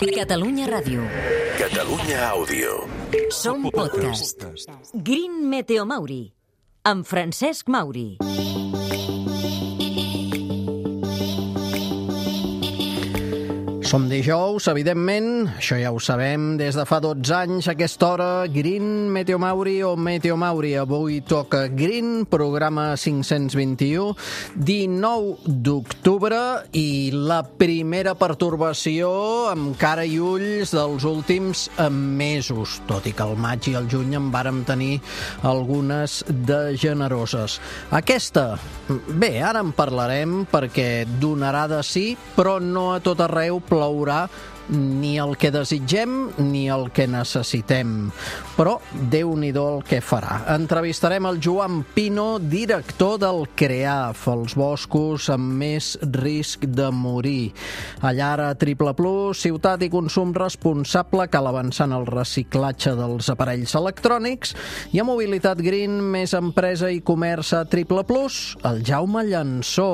Catalunya Ràdio. Catalunya Àudio. Som podcast. Green Meteo Mauri, amb Francesc Mauri. Som dijous, evidentment, això ja ho sabem, des de fa 12 anys a aquesta hora, Green Meteo Mauri o Meteo Mauri. Avui toca Green, programa 521, 19 d'octubre i la primera pertorbació amb cara i ulls dels últims mesos, tot i que al maig i al juny en vàrem tenir algunes de generoses. Aquesta, bé, ara en parlarem perquè donarà de sí, però no a tot arreu plourà ni el que desitgem ni el que necessitem. Però Déu-n'hi-do el que farà. Entrevistarem el Joan Pino, director del CREAF, els boscos amb més risc de morir. Allà ara Triple Plus, ciutat i consum responsable, cal avançar en el reciclatge dels aparells electrònics, i a Mobilitat Green, més empresa i comerç a Triple Plus, el Jaume Llansó.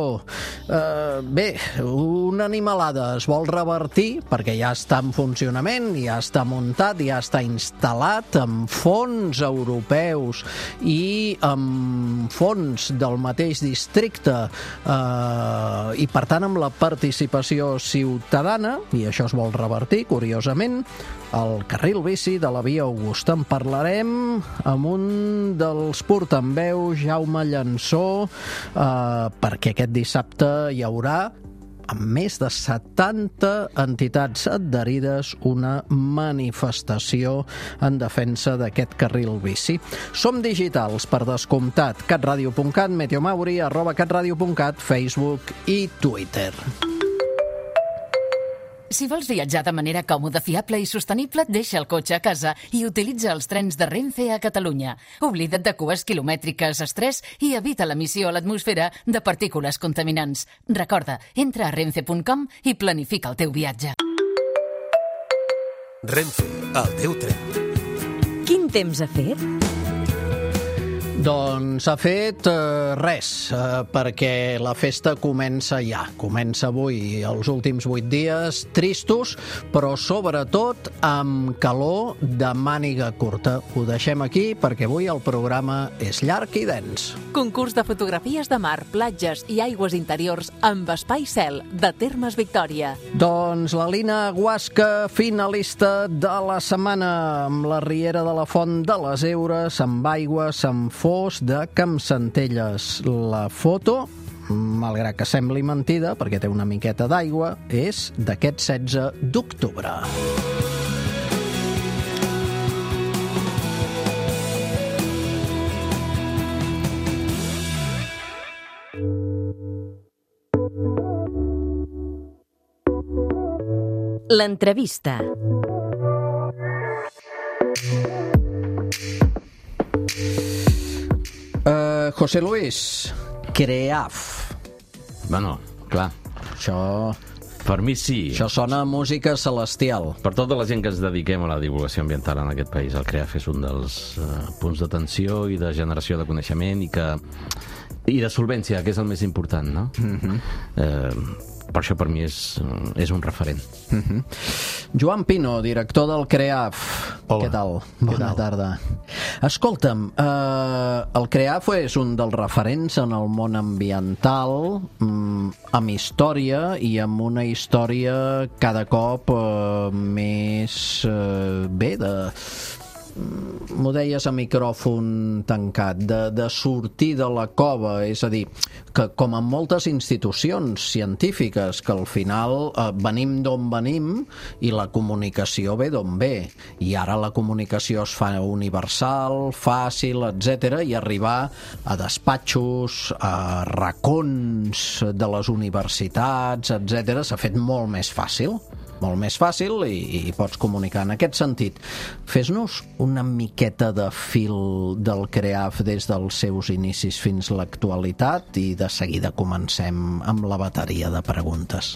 Bé, una animalada es vol revertir perquè ja està en funcionament, ja està muntat, ja està instal·lat amb fons europeus i amb fons del mateix districte i per tant amb la participació ciutadana, i això es vol revertir, curiosament, el carril bici de la Via Augusta. En parlarem amb un dels portaveus, Jaume Llansó, perquè aquest dissabte hi haurà, amb més de 70 entitats adherides, una manifestació en defensa d'aquest carril bici. Som digitals, per descomptat, catradio.cat, meteomauri, @catradio.cat, Facebook i Twitter. Si vols viatjar de manera còmoda, fiable i sostenible, deixa el cotxe a casa i utilitza els trens de Renfe a Catalunya. Oblida't de cues quilomètriques, estrès i evita l'emissió a l'atmosfera de partícules contaminants. Recorda, entra a renfe.com i planifica el teu viatge. Renfe, el teu tren. Quin temps ha fet? Doncs ha fet res, perquè la festa comença ja. Comença avui, els últims 8 dies tristos, però sobretot amb calor de màniga curta. Ho deixem aquí perquè avui el programa és llarg i dens. Concurs de fotografies de mar, platges i aigües interiors amb espai cel de Termes Victòria. Doncs la Lina Guasca, finalista de la setmana, amb la Riera de la Font de les Eures, amb aigües, amb fons de Campsentelles. La foto, malgrat que sembli mentida, perquè té una miqueta d'aigua, és d'aquest 16 d'octubre. L'entrevista. José Luis, CREAF. Bueno, clar. Això... Per mi sí. Això sona a música celestial. Per tota la gent que ens dediquem a la divulgació ambiental en aquest país, el CREAF és un dels punts d'atenció i de generació de coneixement i de solvència, que és el més important, no? Per això per mi és un referent. Joan Pino, director del CREAF. Hola. Què tal? Bona tarda. Escolta'm, el CREAF és un dels referents en el món ambiental, amb història i amb una història cada cop més m'ho deies a micròfon tancat, de sortir de la cova, és a dir, que com en moltes institucions científiques, que al final venim d'on venim i la comunicació ve d'on ve, i ara la comunicació es fa universal, fàcil, etc., i arribar a despatxos, a racons de les universitats, etc., s'ha fet molt més fàcil i pots comunicar. En aquest sentit, fes-nos una miqueta de fil del CREAF des dels seus inicis fins a l'actualitat i de seguida comencem amb la bateria de preguntes.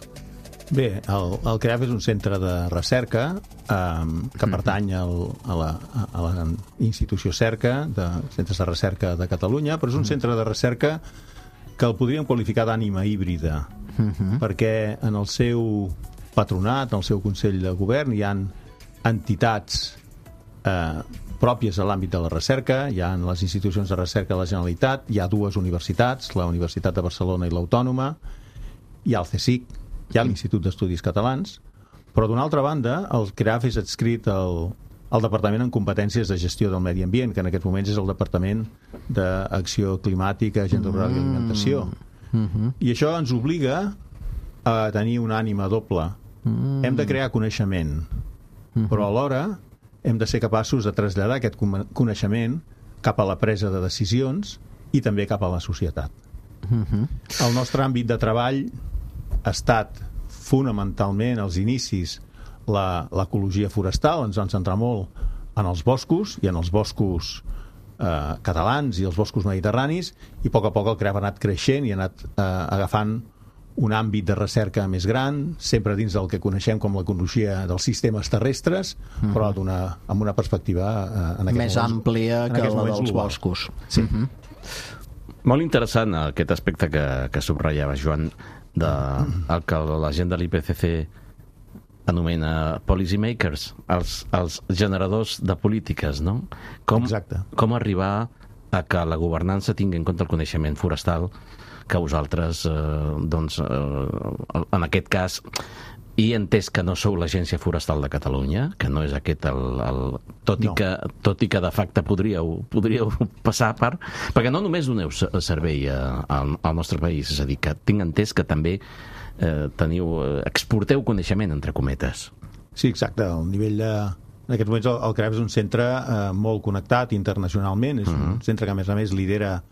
Bé, el CREAF és un centre de recerca que pertany a la institució CERCA, de Centres de Recerca de Catalunya, però és un centre de recerca que el podríem qualificar d'ànima híbrida, perquè en el seu patronat, en el seu Consell de Govern, hi ha entitats pròpies a l'àmbit de la recerca, hi ha les institucions de recerca de la Generalitat, hi ha dues universitats, la Universitat de Barcelona i l'Autònoma, hi ha el CSIC, hi ha l'Institut d'Estudis Catalans, però d'una altra banda el CREAF és adscrit al Departament en competències de gestió del medi ambient, que en aquests moments és el Departament d'Acció Climàtica, Agenda Rural i Alimentació. I això ens obliga a tenir una ànima doble. Hem de crear coneixement, però alhora hem de ser capaços de traslladar aquest coneixement cap a la presa de decisions i també cap a la societat. El nostre àmbit de treball ha estat fonamentalment als inicis l'ecologia forestal, ens vam centrar molt en els boscos i en els boscos catalans i els boscos mediterranis, i a poc el CREAF ha anat creixent i ha anat agafant un àmbit de recerca més gran, sempre dins del que coneixem com l'ecologia dels sistemes terrestres, però amb una perspectiva més àmplia que la dels boscos. Sí. Molt interessant aquest aspecte que subratllava, Joan, el que la gent de l'IPCC anomena policy makers, els generadors de polítiques, no? Com arribar a que la governança tingui en compte el coneixement forestal que vosaltres, en aquest cas, he entès que no sou l'Agència Forestal de Catalunya, que no és aquest tot i que de facte podríeu passar perquè no només doneu servei al nostre país, és a dir, que tinc entès que també exporteu coneixement, entre cometes. Sí, exacte. El nivell en aquests moments el CREAF és un centre molt connectat internacionalment, és un centre que a més lidera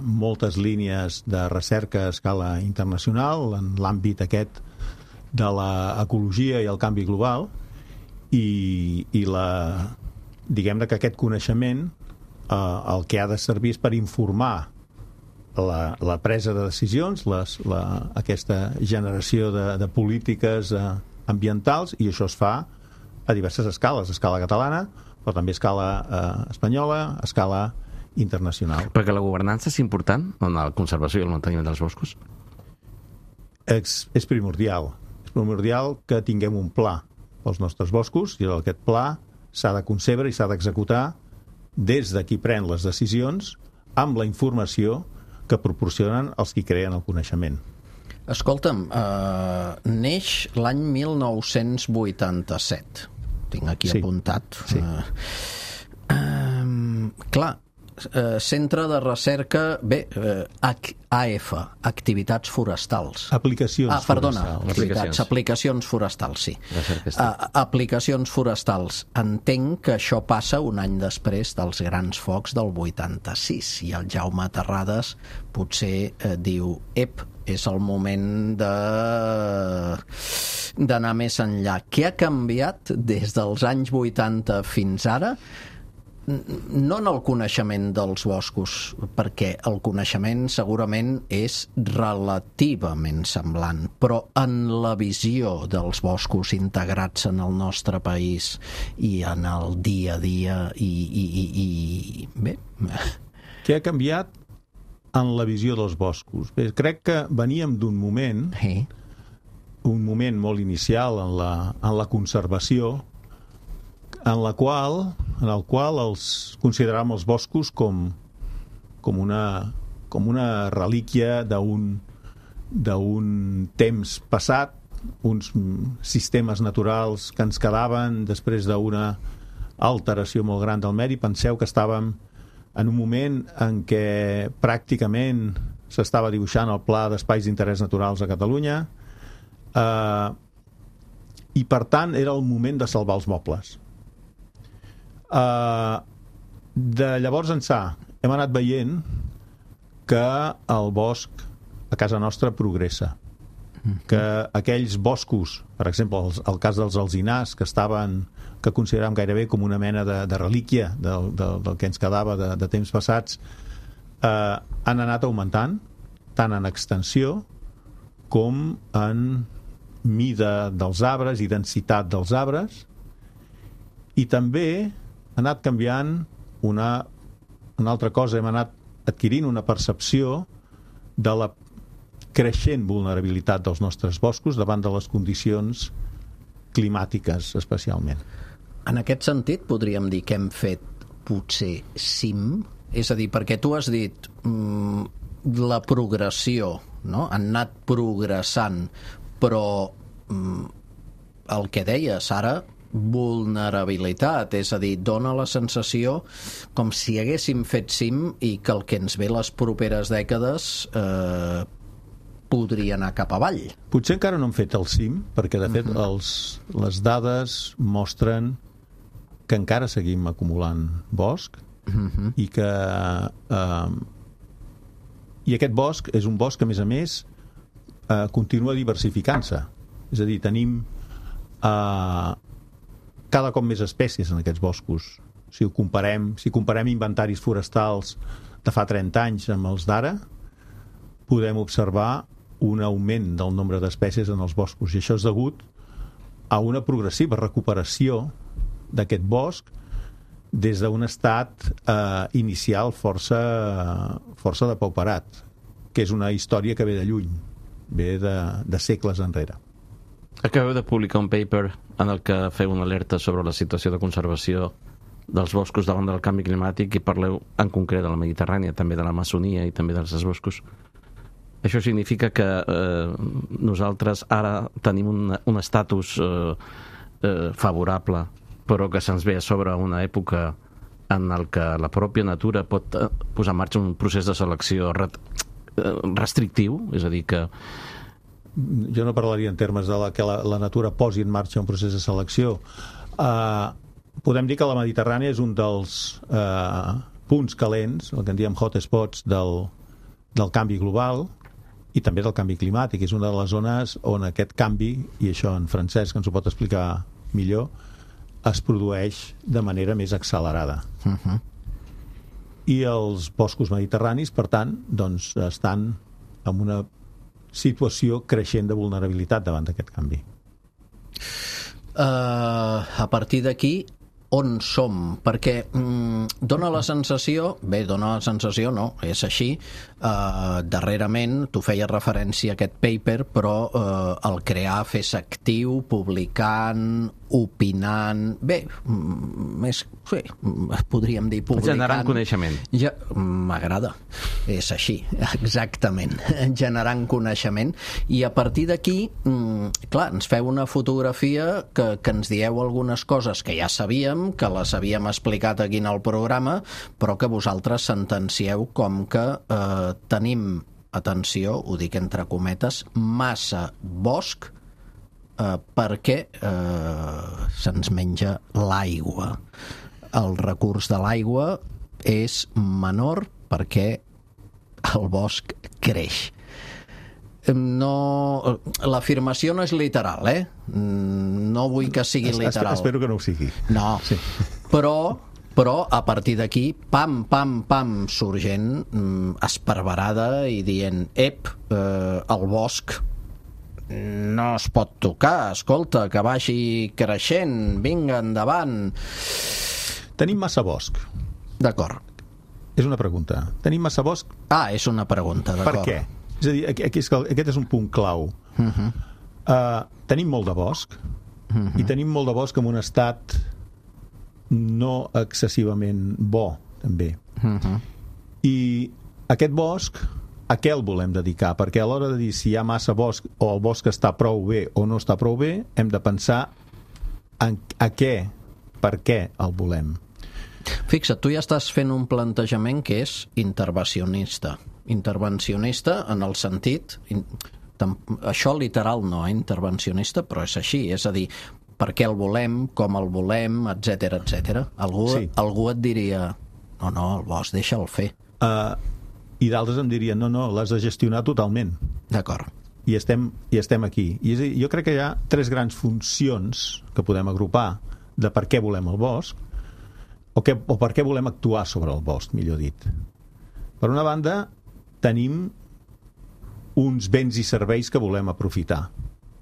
moltes línies de recerca a escala internacional en l'àmbit aquest de l'ecologia i el canvi global, i diguem-ne que aquest coneixement el que ha de servir és per informar la presa de decisions, aquesta generació de polítiques ambientals, i això es fa a diverses escales, a escala catalana, però també a escala espanyola, a escala internacional. Perquè la governança és important en la conservació i el manteniment dels boscos? És primordial. És primordial que tinguem un pla pels nostres boscos, i aquest pla s'ha de concebre i s'ha d'executar des de qui pren les decisions amb la informació que proporcionen els qui creen el coneixement. Escolta'm, neix l'any 1987. Tinc aquí apuntat. Sí. Clar, Centre de Recerca, AF, Activitats Forestals. Aplicacions Forestals, sí. Aplicacions Forestals. Entenc que això passa un any després dels grans focs del 86, i el Jaume Terrades potser diu, és el moment d'anar més enllà. Què ha canviat des dels anys 80 fins ara? No en el coneixement dels boscos, perquè el coneixement segurament és relativament semblant, però en la visió dels boscos integrats en el nostre país i en el dia a dia i bé. Què ha canviat en la visió dels boscos? Bé, crec que veníem d'un moment, un moment molt inicial en la conservació, en el qual consideràvem els boscos com una relíquia d'un temps passat, uns sistemes naturals que ens quedaven després d'una alteració molt gran del medi. Penseu que estàvem en un moment en què pràcticament s'estava dibuixant el Pla d'Espais d'Interès Naturals a Catalunya, i per tant era el moment de salvar els mobles. De llavors ençà hem anat veient que el bosc a casa nostra progressa, que aquells boscos, per exemple el cas dels alzinars, que consideràvem gairebé com una mena de relíquia del que ens quedava de temps passats, han anat augmentant tant en extensió com en mida dels arbres i densitat dels arbres, i també ha anat canviant una altra cosa. Hem anat adquirint una percepció de creixent vulnerabilitat dels nostres boscos davant de les condicions climàtiques, especialment. En aquest sentit, podríem dir que hem fet potser cim? És a dir, perquè tu has dit la progressió, no? Han anat progressant, però el que deies ara, vulnerabilitat, és a dir, dona la sensació com si haguéssim fet cim i que el que ens ve les properes dècades podria anar cap avall. Potser encara no hem fet el cim, perquè de fet les dades mostren que encara seguim acumulant bosc i que i aquest bosc és un bosc que, a més, continua diversificant-se. És a dir, tenim cada cop més espècies en aquests boscos. Si comparem inventaris forestals de fa 30 anys amb els d'ara, podem observar un augment del nombre d'espècies en els boscos, i això és degut a una progressiva recuperació d'aquest bosc des d'un estat inicial força depauperat, que és una història que ve de lluny, ve de segles enrere. Acabeu de publicar un paper en el que feu una alerta sobre la situació de conservació dels boscos davant del canvi climàtic i parleu en concret de la Mediterrània, també de l'Amazonia i també dels boscos. Això significa que nosaltres ara tenim un estatus favorable, però que se'ns ve a sobre una època en el que la pròpia natura pot posar en marxa un procés de selecció restrictiu, és a dir, que jo no parlaria en termes de que la natura posi en marxa un procés de selecció. Podem dir que la Mediterrània és un dels punts calents, el que en diem hotspots del canvi global i també del canvi climàtic. És una de les zones on aquest canvi, i això en Francesc ens ho pot explicar millor, es produeix de manera més accelerada. I els boscos mediterranis, per tant, doncs, estan en una situació creixent de vulnerabilitat davant d'aquest canvi. A partir d'aquí, on som? Perquè dona la sensació, no, és així, darrerament, tu feies referència a aquest paper, però el crear, fer-se actiu, publicant, opinant, bé, sí, podríem dir publicant. Generant coneixement. Ja, m'agrada, és així, exactament, generant coneixement, i a partir d'aquí, clar, ens feu una fotografia que ens dieu algunes coses que ja sabíem, que les havíem explicat aquí en el programa, però que vosaltres sentencieu com que tenim, atenció, ho dic entre cometes, massa bosc perquè se'ns menja l'aigua. El recurs de l'aigua és menor perquè el bosc creix. No, l'afirmació no és literal, no vull que sigui literal. Espero que no ho sigui. No, sí. Però a partir d'aquí, pam, sorgent esparverada i dient, el bosc no es pot tocar, escolta, que vagi creixent, vinga, endavant. Tenim massa bosc. D'acord. És una pregunta. Tenim massa bosc? És una pregunta, d'acord. Per què? És a dir, aquest és un punt clau. Tenim molt de bosc i tenim molt de bosc en un estat no excessivament bo, també. I aquest bosc, a què el volem dedicar? Perquè a l'hora de dir si hi ha massa bosc o el bosc està prou bé o no està prou bé, hem de pensar a què, per què el volem. Fixa't, tu ja estàs fent un plantejament que és intervencionista en el sentit, això literal no, intervencionista, però és així, és a dir, per què el volem, com el volem, etc. Algú et diria, no, el bosc, deixa'l fer. I d'altres em dirien, no, l'has de gestionar totalment. D'acord. I estem aquí. I jo crec que hi ha 3 grans funcions que podem agrupar de per què volem el bosc o per què volem actuar sobre el bosc, millor dit. Per una banda, tenim uns béns i serveis que volem aprofitar.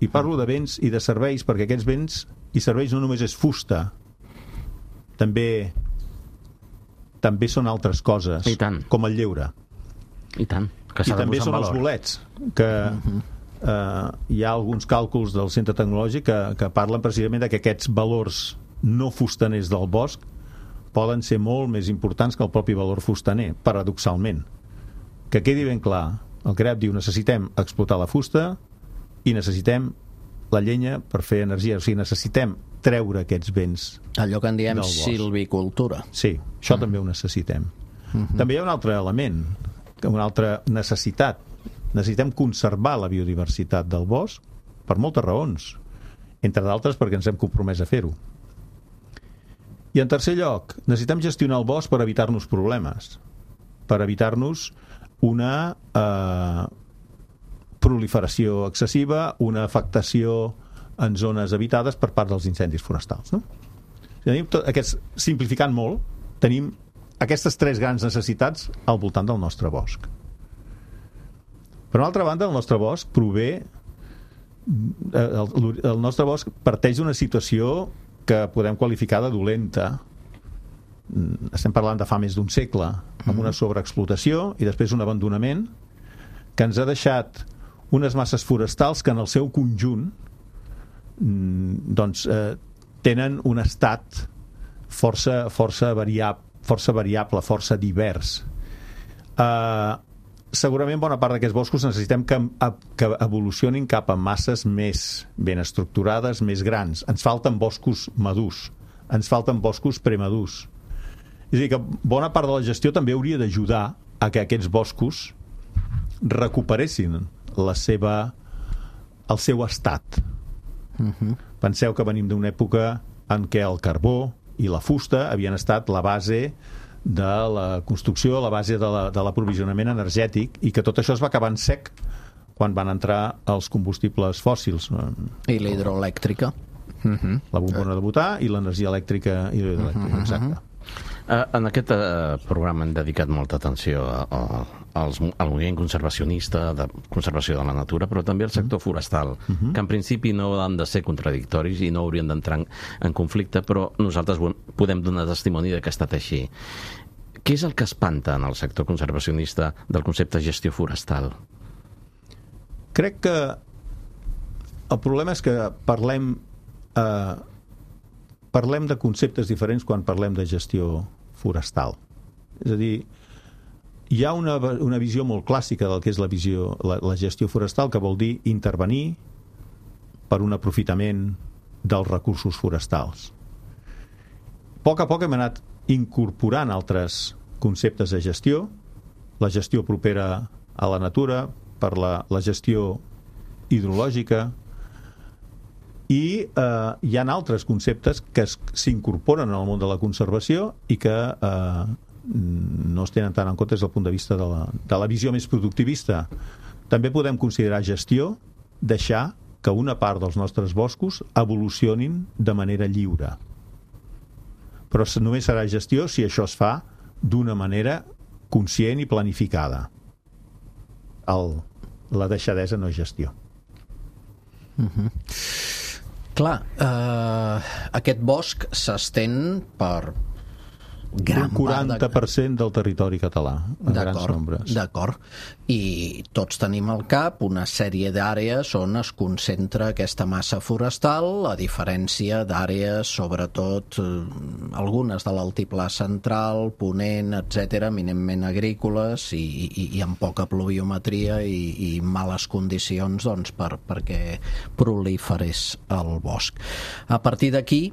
I parlo de béns i de serveis perquè aquests béns i serveis no només és fusta, també són altres coses, I tant. com el lleure. I tant. Que s'ha I de també posar en són els valor. bolets, que hi ha alguns càlculs del Centre Tecnològic que parlen precisament de que aquests valors no fustaners del bosc poden ser molt més importants que el propi valor fustaner, paradoxalment. Que quedi ben clar, el CREAP diu necessitem explotar la fusta i necessitem la llenya per fer energia, o sigui, necessitem treure aquests béns. Allò que en diem del bosc. silvicultura. Sí, això també ho necessitem. També hi ha un altre element, una altra necessitat. Necessitem conservar la biodiversitat del bosc per moltes raons, entre d'altres perquè ens hem compromès a fer-ho. I en tercer lloc, necessitem gestionar el bosc per evitar-nos problemes, per evitar-nos una proliferació excessiva, una afectació en zones habitades per part dels incendis forestals. No? Simplificant molt, tenim aquestes tres grans necessitats al voltant del nostre bosc. Per una altra banda, el nostre bosc el nostre bosc parteix d'una situació que podem qualificar de dolenta. Estem parlant de fa més d'un segle, amb una sobreexplotació i després un abandonament que ens ha deixat unes masses forestals que en el seu conjunt tenen un estat força variable, força divers. Segurament bona part d'aquests boscos necessitem que evolucionin cap a masses més ben estructurades, més grans. Ens falten boscos madurs, ens falten boscos premadurs. És a dir, que bona part de la gestió també hauria d'ajudar a que aquests boscos recuperessin el seu estat. Penseu que venim d'una època en què el carbó i la fusta havien estat la base de la construcció, la base de l'aprovisionament energètic, i que tot això es va acabar en sec quan van entrar els combustibles fòssils. I la hidroelèctrica. La bombona de butà i l'energia elèctrica i l'hidroelèctrica, exacte. En aquest programa hem dedicat molta atenció al moviment conservacionista, de conservació de la natura, però també al sector forestal, que en principi no han de ser contradictoris i no haurien d'entrar en conflicte, però nosaltres podem donar testimoni que ha estat així. Què és el que espanta en el sector conservacionista del concepte gestió forestal? Crec que el problema és que parlem de conceptes diferents quan parlem de gestió forestal. És a dir, hi ha una visió molt clàssica del que és la gestió forestal, que vol dir intervenir per un aprofitament dels recursos forestals. A poc hem anat incorporant altres conceptes de gestió, la gestió propera a la natura, per la gestió hidrològica, i hi ha altres conceptes que s'incorporen al món de la conservació i que no es tenen tant en compte des del punt de vista de la visió més productivista. També podem considerar gestió deixar que una part dels nostres boscos evolucionin de manera lliure. Però només serà gestió si això es fa d'una manera conscient i planificada. La deixadesa no és gestió. Clar, aquest bosc s'estén per gran part... Un 40% del territori català, en grans nombres. D'acord. I tots tenim al cap una sèrie d'àrees on es concentra aquesta massa forestal, a diferència d'àrees, sobretot algunes de l'altiplà central, Ponent, etc., eminentment agrícoles i amb poca pluviometria i males condicions doncs, perquè proliferés el bosc. A partir d'aquí,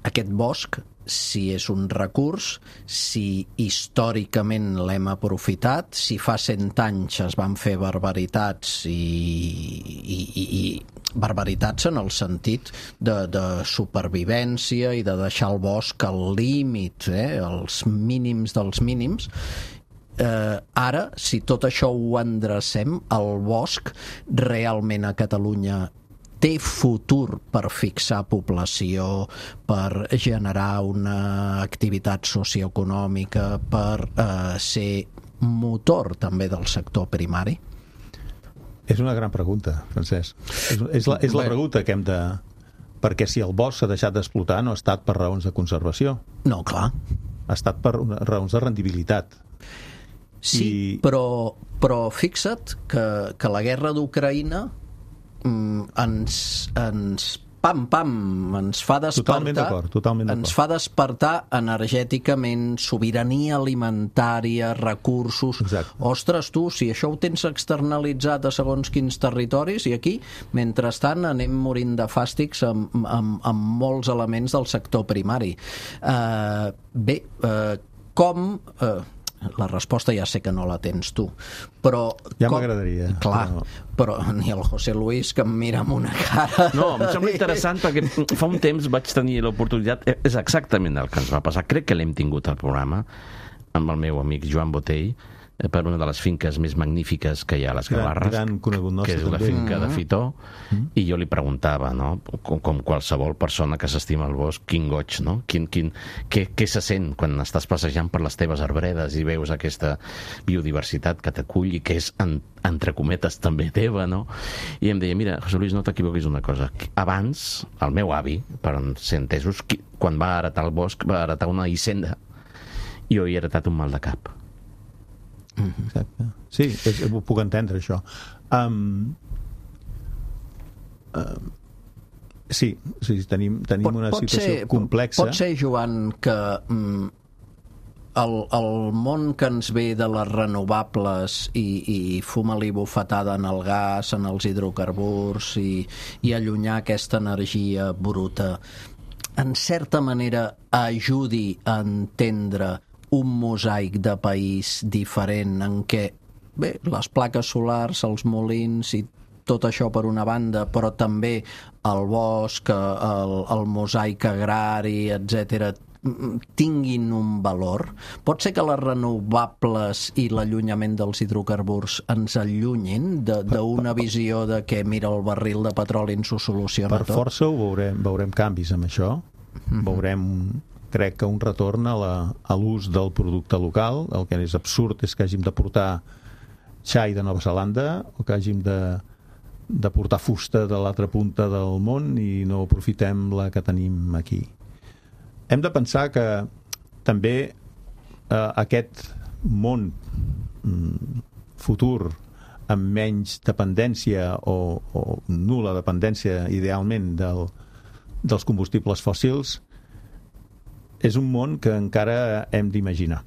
aquest bosc, si és un recurs, si històricament l'hem aprofitat, si fa 100 anys es van fer barbaritats i barbaritats en el sentit de supervivència i de deixar el bosc al límit, els mínims dels mínims. Ara, si tot això ho endrecem, el bosc realment a Catalunya té futur per fixar població, per generar una activitat socioeconòmica, per ser motor també del sector primari? És una gran pregunta, Francesc. És la pregunta que hem de... Perquè si el bosc s'ha deixat d'explotar no ha estat per raons de conservació. No, clar. Ha estat per raons de rendibilitat. Sí, però fixa't que la guerra d'Ucraïna ens fa despertar, totalment d'acord. ens fa despertar energèticament, sobirania alimentària, recursos. Exacte. Ostres, tu, si això ho tens externalitzat a segons quins territoris, i aquí, mentrestant, anem morint de fàstics amb molts elements del sector primari. Com... la resposta ja sé que no la tens tu, però... Ja m'agradaria. Clar, però ni el José Luis, que em mira amb una cara... No, em sembla interessant perquè fa un temps vaig tenir l'oportunitat, és exactament el que ens va passar, crec que l'hem tingut al programa amb el meu amic Joan Botell, per una de les finques més magnífiques que hi ha a les Gavarres, que és la finca de Fitó, i jo li preguntava, no? Com qualsevol persona que s'estima el bosc, quin goig, no? Què se sent quan estàs passejant per les teves arbredes i veus aquesta biodiversitat que t'acull i que és, entre cometes, també teva, no? I em deia, mira, José Luis, no t'equivoquis una cosa. Abans, el meu avi, per ser entesos, quan va heretar el bosc, va heretar una hisenda, i jo he heretat un mal de cap. Exacte. Sí, ho puc entendre, això. Sí, tenim una situació complexa. Pot ser, Joan, que el món que ens ve de les renovables i fuma-li bufetada en el gas, en els hidrocarburs i allunyar aquesta energia bruta, en certa manera ajudi a entendre un mosaic de país diferent en què, bé, les plaques solars, els molins i tot això per una banda, però també el bosc, el mosaic agrari, etc., tinguin un valor. Pot ser que les renovables i l'allunyament dels hidrocarburs ens allunyin d'una visió de que, mira, el barril de petroli ens ho soluciona tot? Per força ho veurem canvis amb això. Veurem, crec que un retorn a l'ús del producte local. El que és absurd és que hàgim de portar xai de Nova Zelanda o que hàgim de portar fusta de l'altra punta del món i no aprofitem la que tenim aquí. Hem de pensar que també aquest món futur amb menys dependència o nul·la dependència idealment dels combustibles fòssils és un món que encara hem d'imaginar.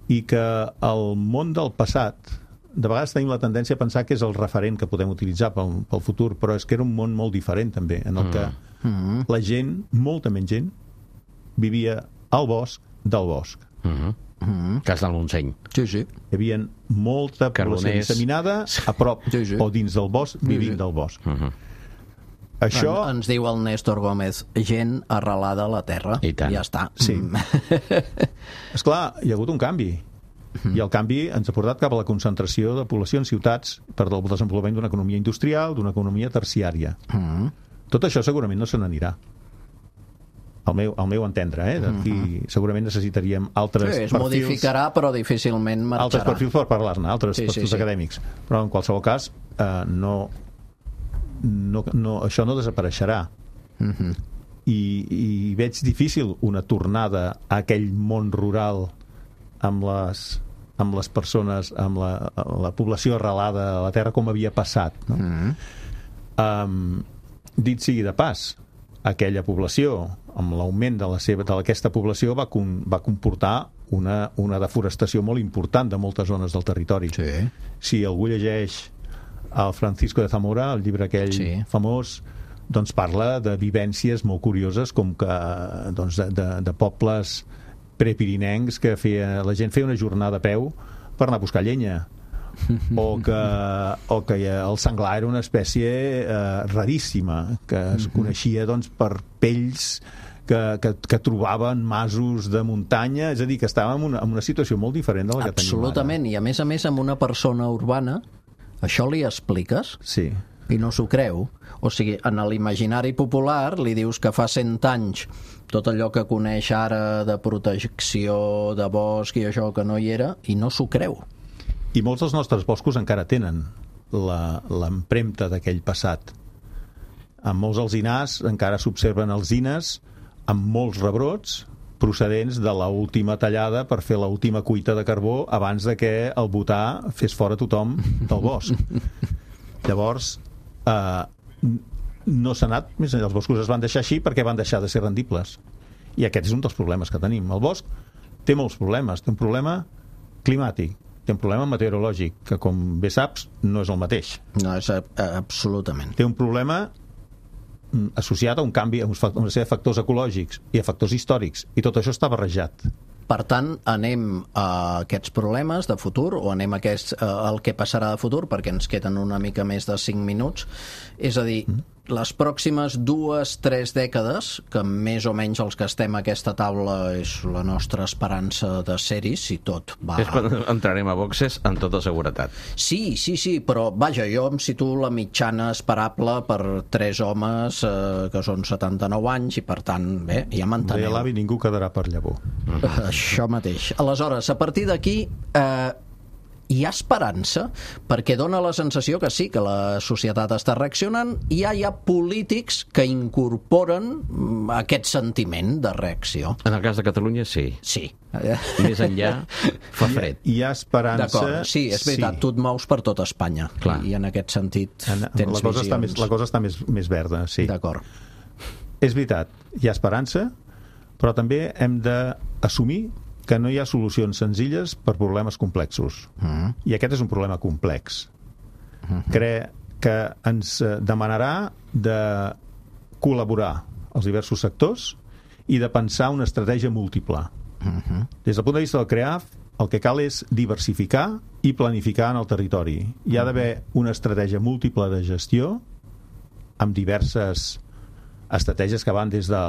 I que el món del passat, de vegades tenim la tendència a pensar que és el referent que podem utilitzar pel futur, però és que era un món molt diferent també, en el que la gent, molta menys gent, vivia al bosc del bosc. Cas del Montseny. Sí. Hi havia molta població disseminada a prop o dins del bosc, vivint del bosc. Això... Ens diu el Néstor Gómez, gent arrelada a la terra. I tant. Ja està. Sí. Esclar, hi ha hagut un canvi. I el canvi ens ha portat cap a la concentració de població en ciutats per al desenvolupament d'una economia industrial, d'una economia terciària. Tot això segurament no se n'anirà. Al meu entendre, d'aquí segurament necessitaríem altres perfils. Es modificarà, però difícilment marxarà. Altres perfils per parlar-ne, altres perfils acadèmics. Però en qualsevol cas, això no desapareixerà. I veig difícil una tornada a aquell món rural amb les persones, amb la població arrelada a la terra com havia passat, no? Dit sigui de pas, aquella població, amb l'augment d'aquesta població, va comportar una deforestació molt important de moltes zones del territori. Si algú llegeix el Francisco de Zamora, el llibre aquell famós, doncs parla de vivències molt curioses, com que de pobles prepirinencs que la gent feia una jornada a peu per anar a buscar llenya, o que el senglar era una espècie raríssima, que es coneixia per pells que trobaven masos de muntanya, és a dir, que estàvem en una situació molt diferent de la que tenim ara. Absolutament, i a més amb una persona urbana això li expliques? Sí. I no s'ho creu. O sigui, en l'imaginari popular li dius que fa 100 anys tot allò que coneix ara de protecció, de bosc i això que no hi era, i no s'ho creu. I molts dels nostres boscos encara tenen l'empremta d'aquell passat. En molts alzinars encara s'observen alzines amb molts rebrots procedents de l'última tallada per fer l'última cuita de carbó abans de que el butà fes fora tothom del bosc. Llavors, no s'ha anat més enllà. Els boscos es van deixar així perquè van deixar de ser rendibles. I aquest és un dels problemes que tenim. El bosc té molts problemes. Té un problema climàtic, té un problema meteorològic, que com bé saps no és el mateix. No, és absolutament. Té un problema associat a un canvi, a una sèrie de factors ecològics i a factors històrics, i tot això està barrejat. Per tant, anem a aquests problemes de futur, o anem a el que passarà de futur, perquè ens queden una mica més de 5 minuts. És a dir, les pròximes 2-3 dècades, que més o menys els que estem a aquesta taula és la nostra esperança de ser-hi, si tot va... És quan entrarem a boxes amb tota seguretat. Sí, però vaja, jo em situo la mitjana esperable per 3 homes que són 79 anys, i per tant, bé, ja m'enteneu. Deia l'avi, ningú quedarà per llavor. Això mateix. Aleshores, a partir d'aquí hi ha esperança, perquè dona la sensació que sí, que la societat està reaccionant, i ja hi ha polítics que incorporen aquest sentiment de reacció. En el cas de Catalunya, sí. Sí. Més enllà, fa fred. Hi ha esperança... D'acord, sí, és veritat, tu et mous per tot Espanya. Clar. I en aquest sentit tens visions. La cosa està més verda, sí. D'acord. És veritat, hi ha esperança, però també hem d'assumir que no hi ha solucions senzilles per problemes complexos. I aquest és un problema complex. Crec que ens demanarà de col·laborar els diversos sectors i de pensar una estratègia múltiple. Des del punt de vista del CREAF, el que cal és diversificar i planificar en el territori. Hi ha d'haver una estratègia múltiple de gestió amb diverses estratègies que van des de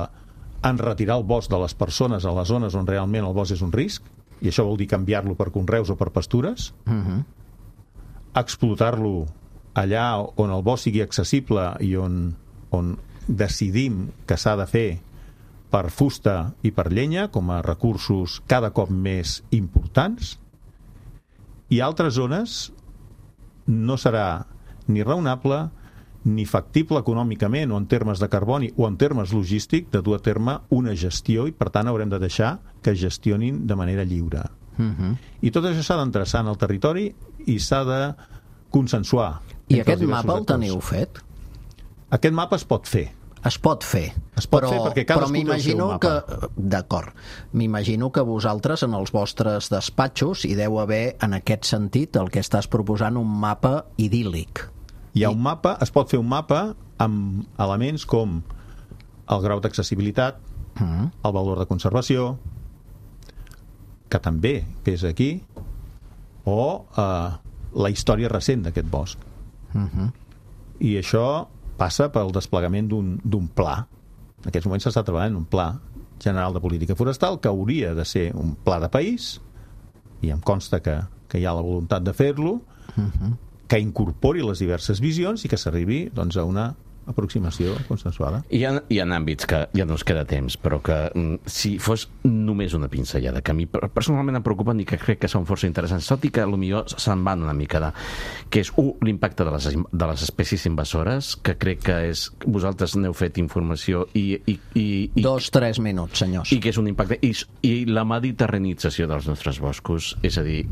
retirar el bosc de les persones a les zones on realment el bosc és un risc, i això vol dir canviar-lo per conreus o per pastures, explotar-lo allà on el bosc sigui accessible i on decidim que s'ha de fer per fusta i per llenya com a recursos cada cop més importants, i altres zones no serà ni raonable ni factible econòmicament o en termes de carboni o en termes logístic de dur a terme una gestió, i per tant haurem de deixar que gestionin de manera lliure. I tot això s'ha d'endreçar en el territori i s'ha de consensuar. I aquest mapa el teniu fet? Aquest mapa es pot fer. Es pot fer. Perquè cadascú té el seu mapa. D'acord. M'imagino que vosaltres en els vostres despatxos hi deu haver, en aquest sentit, el que estàs proposant, un mapa idíl·lic. Hi ha un mapa, es pot fer un mapa amb elements com el grau d'accessibilitat, el valor de conservació, que també pesa aquí, o la història recent d'aquest bosc. I això passa pel desplegament d'un pla. En aquests moments s'està treballant un pla general de política forestal que hauria de ser un pla de país, i em consta que hi ha la voluntat de fer-lo, que incorpori les diverses visions i que s'arribi doncs, a una aproximació consensuada. Hi ha àmbits que ja no ens queda temps, però que si fos només una pinzellada, que a mi personalment em preocupen i que crec que són força interessants, tot i que potser se'n van una mica de... que és, l'impacte de les espècies invasores, que crec que és... Vosaltres n'heu fet informació i 2-3 minuts, senyors. I que és un impacte... I la mediterranització dels nostres boscos, és a dir,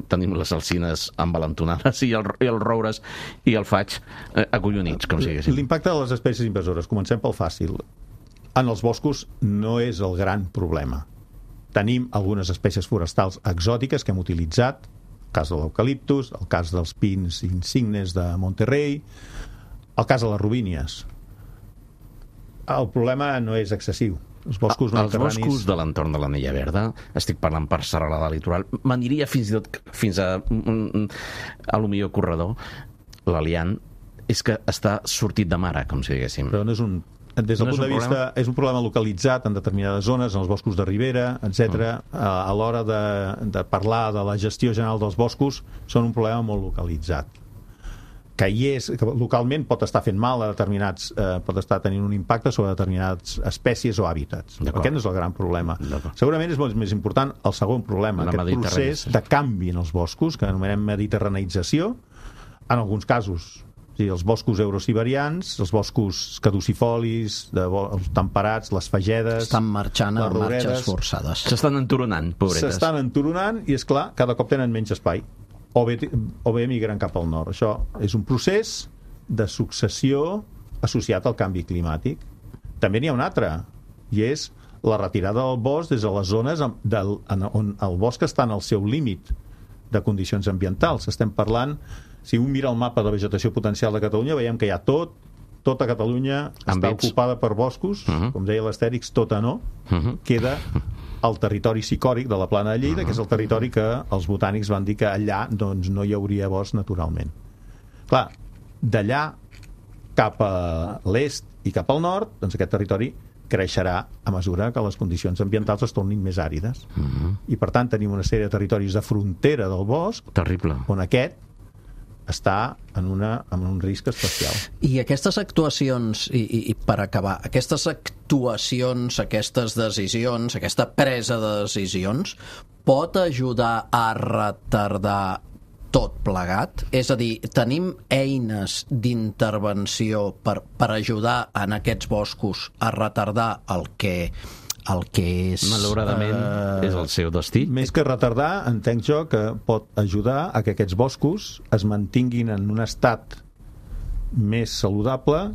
tenim les alzines envalentonades i els roures i el faig acollonits, com si diguéssim. L'impacte de les espècies invasores, comencem pel fàcil. En els boscos no és el gran problema. Tenim algunes espècies forestals exòtiques que hem utilitzat, el cas de l'eucaliptus, el cas dels pins insignes de Monterrey, el cas de les robínies. El problema no és excessiu. Els boscos mediterranis... Els boscos de l'entorn de l'Anella Verda, estic parlant per Serralada Litoral, m'aniria fins i tot fins a lo millor corredor, l'Aliant, és que està sortit de mare, com si diguéssim. Però no és un... Des del punt de vista... És un problema localitzat en determinades zones, en els boscos de ribera, etc. A l'hora de parlar de la gestió general dels boscos, són un problema molt localitzat. Que localment pot estar fent mal a determinats... pot estar tenint un impacte sobre determinades espècies o hàbitats. Aquest no és el gran problema. Segurament és molt més important el segon problema, aquest procés de canvi en els boscos, que anomenem mediterraneïtzació, en alguns casos És a dir, els boscos eurosiberians, els boscos caducifolis, els temperats, les fagedes... Estan marxant en marxes forçades. S'estan enturonant, pobretes. S'estan enturonant i, és clar, cada cop tenen menys espai. O bé migren cap al nord. Això és un procés de successió associat al canvi climàtic. També n'hi ha un altre, i és la retirada del bosc des de les zones on el bosc està en el seu límit de condicions ambientals. Estem parlant, si un mira el mapa de vegetació potencial de Catalunya, veiem que hi ha tota Catalunya està ocupada per boscos, com deia l'Astèrix, tota no, queda el territori sicòric de la Plana de Lleida, que és el territori que els botànics van dir que allà doncs, no hi hauria bosc naturalment. Clar, d'allà cap a l'est i cap al nord, doncs aquest territori creixerà a mesura que les condicions ambientals es tornin més àrides. I per tant tenim una sèrie de territoris de frontera del bosc, terrible, on aquest està en un risc especial. I aquestes actuacions, i per acabar, aquestes actuacions, aquestes decisions, aquesta presa de decisions, pot ajudar a retardar tot plegat? És a dir, tenim eines d'intervenció per ajudar en aquests boscos a retardar el que és... Malauradament és el seu destí. Més que retardar, entenc jo que pot ajudar a que aquests boscos es mantinguin en un estat més saludable,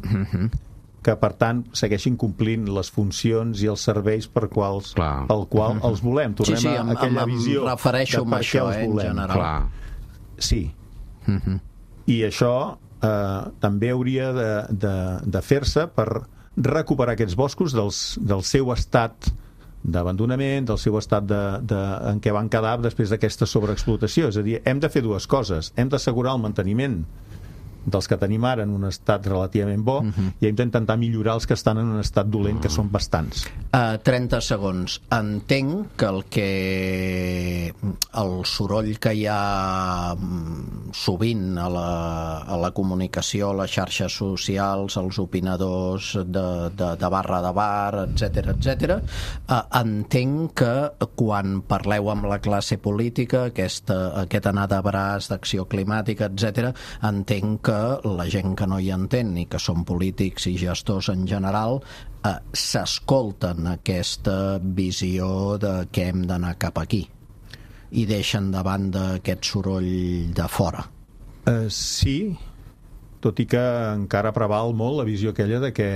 que per tant segueixin complint les funcions i els serveis pel qual els volem. Tornem a aquella visió em refereixo de per què els volem. En general. Sí. I això també hauria de fer-se per recuperar aquests boscos del seu estat d'abandonament, del seu estat en què van quedar després d'aquesta sobreexplotació. És a dir, hem de fer dues coses. Hem d'assegurar el manteniment dels que tenim ara en un estat relativament bo i hem d'intentar millorar els que estan en un estat dolent, que són bastants. 30 segons. Entenc que el soroll que hi ha sovint a la comunicació, a les xarxes socials, els opinadors de barra de bar, etc. Entenc que quan parleu amb la classe política, aquest anar de braç d'acció climàtica, etc., entenc que la gent que no hi entén i que són polítics i gestors en general s'escolten aquesta visió de que hem d'anar cap aquí i deixen de banda aquest soroll de fora. Sí, tot i que encara preval molt la visió aquella de que...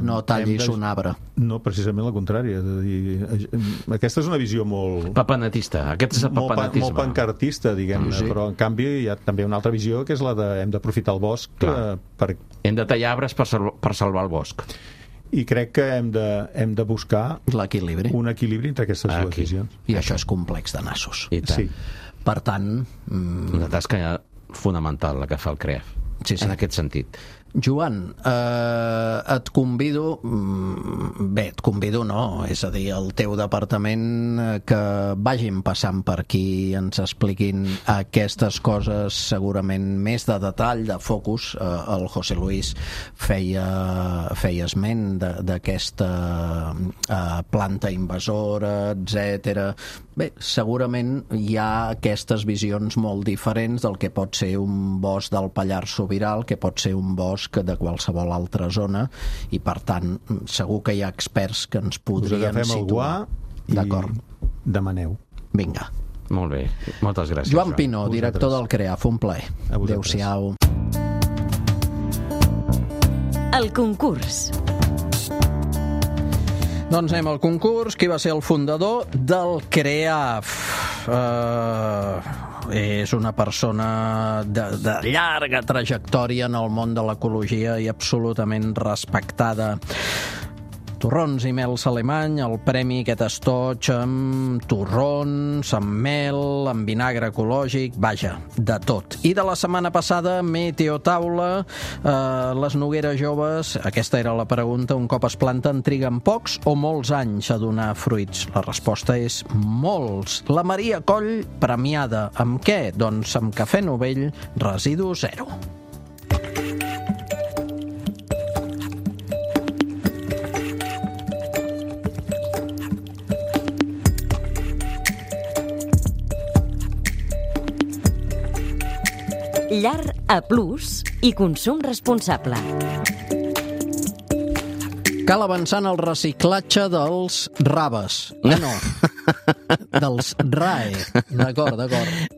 No tallis un arbre. No, precisament la contrària. Aquesta és una visió molt... papanatista. Aquest és el papanatisme. Molt pancartista, diguem-ne. Sí. Però en canvi hi ha també una altra visió, que és la de hem d'aprofitar el bosc Hem de tallar arbres per salvar el bosc. I crec que hem de buscar l'equilibri. Un equilibri entre aquestes dues visions. I això és complex de nassos. Sí. Per tant... Una tasca fonamental la que fa el CREAF. Sí. En aquest sentit. Joan, et convido, et convido no, és a dir, el teu departament, que vagin passant per aquí i ens expliquin aquestes coses segurament més de detall, de focus. El José Luis feia esment d'aquesta planta invasora, etc. Bé, segurament hi ha aquestes visions molt diferents del que pot ser un bosc del Pallars Sobirà, que pot ser un bosc de qualsevol altra zona, i per tant segur que hi ha experts que ens podrien situar. D'acord. Demaneu. Vinga. Molt bé, moltes gràcies. Joan Pinó, director del CREAF, un plaer. Adéu-siau. El concurs. Doncs anem al concurs. Qui va ser el fundador del CREAF? És una persona de llarga trajectòria en el món de l'ecologia i absolutament respectada. Torrons i mels alemany, el premi aquest estoig amb torrons, amb mel, amb vinagre ecològic, vaja, de tot. I de la setmana passada, Meteotaula, les nogueres joves, aquesta era la pregunta, un cop es planten, triguen pocs o molts anys a donar fruits? La resposta és molts. La Maria Coll, premiada amb què? Doncs amb cafè novell, residu zero. Llar A+, i consum responsable. Cal avançar en el reciclatge dels raves. No, dels RAE. D'acord.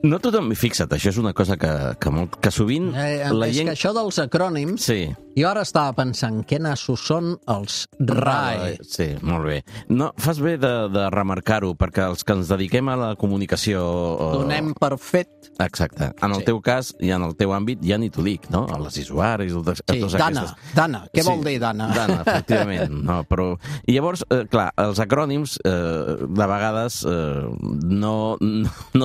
No tothom... Fixa't, això és una cosa que sovint la És gent... que això dels acrònims... Sí. Jo ara estava pensant què nassos són els RAE. Sí, molt bé. No, fas bé de remarcar-ho, perquè els que ens dediquem a la comunicació... Donem per fet. Exacte. En el teu cas i en el teu àmbit ja ni t'ho dic, no? A les usuaris... Sí, Dana. Què vol dir Dana? Dana, efectivament. No, però... I llavors, clar, els acrònims de vegades no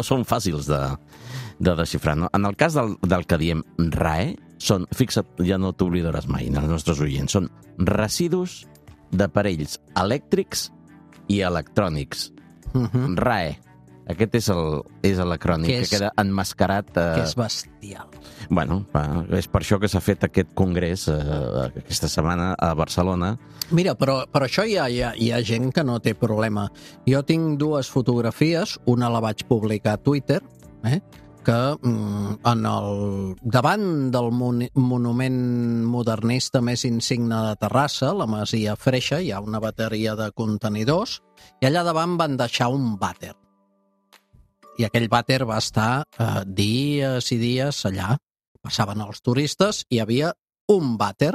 són fàcils de desxifrar. No? En el cas del que diem RAE, fixa't, ja no t'oblidaràs mai, els nostres oients, són residus d'aparells elèctrics i electrònics. RAE. Aquest és l'acrònim que queda enmascarat. Que és bestial. Bueno, és per això que s'ha fet aquest congrés aquesta setmana a Barcelona. Mira, però això hi ha gent que no té problema. Jo tinc dues fotografies, una la vaig publicar a Twitter, que davant del monument modernista més insigne de Terrassa, la Masia Freixa, hi ha una bateria de contenidors, i allà davant van deixar un vàter. I aquell vàter va estar dies i dies allà. Passaven els turistes i hi havia un vàter.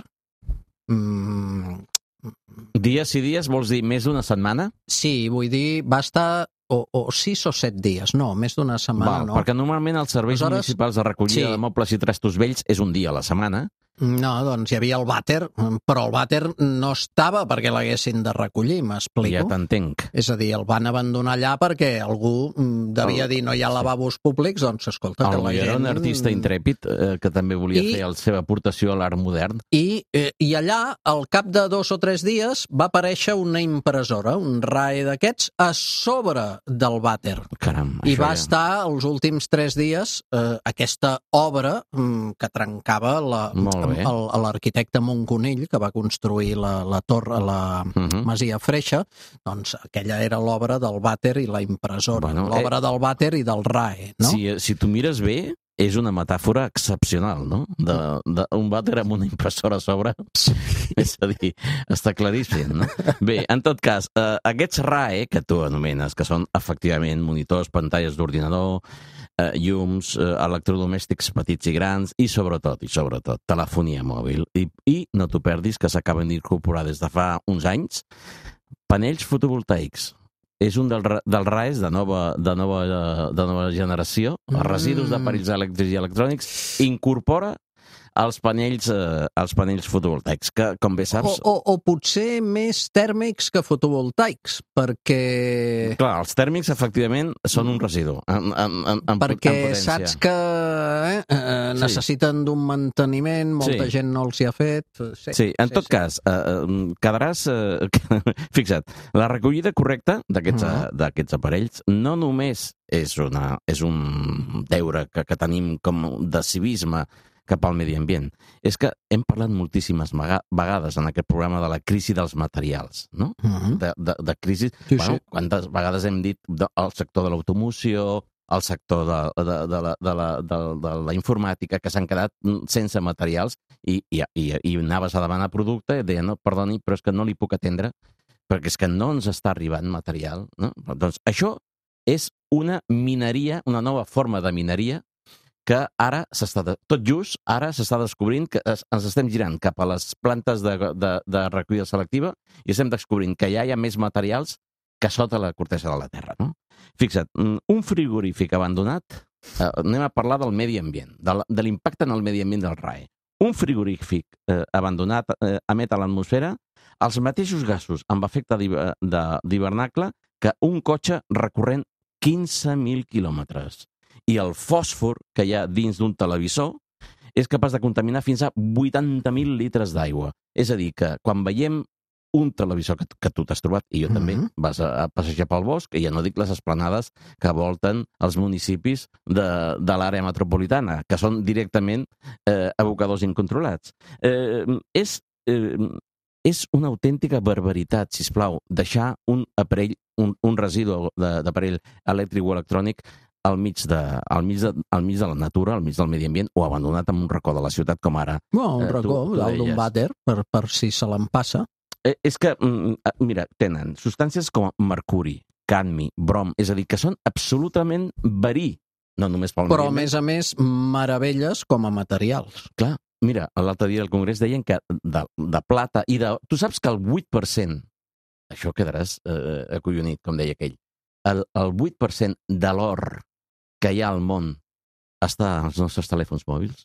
Dies i dies vols dir més d'una setmana? Sí, vull dir, va estar o 6 o 7 dies, no, més d'una setmana no. Perquè normalment els serveis municipals de recollida de mobles i trastos vells és un dia a la setmana. No, doncs hi havia el vàter, però el vàter no estava perquè l'haguessin de recollir, m'explico? Ja t'entenc. És a dir, el van abandonar allà perquè algú devia dir no hi ha lavabos públics, doncs escolta, que la gent... Era un artista intrèpid que també volia fer la seva aportació a l'art modern. I allà, al cap de 2 o 3 dies, va aparèixer una impressora, un RAE d'aquests, a sobre del vàter. Caram, I va estar els últims 3 dies aquesta obra que trencava l'arquitecte Montconill, que va construir la torre, la Masia Freixa, doncs aquella era l'obra del vàter i la impressora. L'obra del vàter i del RAE, no? Si tu mires bé, és una metàfora excepcional, no? Un vàter amb una impressora a sobre. És a dir, està claríssim, no? Bé, en tot cas, aquests RAE, que tu anomenes, que són efectivament monitors, pantalles d'ordinador, llums, electrodomèstics petits i grans i sobretot, telefonia mòbil. I no t'ho perdis, que s'acaben d'incorporar des de fa uns anys, panells fotovoltaics. És un dels RAEs de nova generació, els residus d'aparells elèctrics i electrònics, incorpora els panells fotovoltaics, que, com bé saps... O potser més tèrmics que fotovoltaics, perquè... Clar, els tèrmics, efectivament, són un residu. Perquè saps que necessiten d'un manteniment, molta gent no els hi ha fet... Sí, en tot cas, quedaràs... Fixa't, la recollida correcta d'aquests aparells no només és un deure que tenim com de civisme cap al medi ambient. És que hem parlat moltíssimes vegades en aquest programa de la crisi dels materials, no? De crisi... Quantes vegades hem dit el sector de l'automoció, el sector de la informàtica, que s'han quedat sense materials i anaves a demanar producte i deien, no, perdoni, però és que no li puc atendre perquè és que no ens està arribant material, no? Doncs això és una mineria, una nova forma de mineria que ara ara s'està descobrint que ens estem girant cap a les plantes de recollida selectiva i estem descobrint que ja hi ha més materials que sota la cortesa de la Terra, no? Fixa't, un frigorífic abandonat, anem a parlar del medi ambient, de l'impacte en el medi ambient del RAE. Un frigorífic abandonat emet a l'atmosfera els mateixos gasos amb efecte d'hivernacle que un cotxe recorrent 15.000 quilòmetres. I el fòsfor que hi ha dins d'un televisor és capaç de contaminar fins a 80.000 litres d'aigua. És a dir, que quan veiem un televisor que tu t'has trobat, i jo també, vas a passejar pel bosc, i ja no dic les esplanades que volten els municipis de l'àrea metropolitana, que són directament abocadors incontrolats. És una autèntica barbaritat, sisplau, deixar un aparell, un residu d'aparell elèctric o electrònic al mig de la natura, al mig del medi ambient, o abandonat en un racó de la ciutat, com ara. Un racó, dalt d'un vàter, per si se l'empassa. És que, mira, tenen substàncies com mercuri, cadmi, brom, és a dir, que són absolutament verí, no només pel Però, a més, meravelles com a materials. Clar, mira, l'altre dia al Congrés deien que de plata i de... Tu saps que el 8%, això quedaràs acollonit, com deia aquell, el 8% de l'or que hi ha al món està als nostres telèfons mòbils?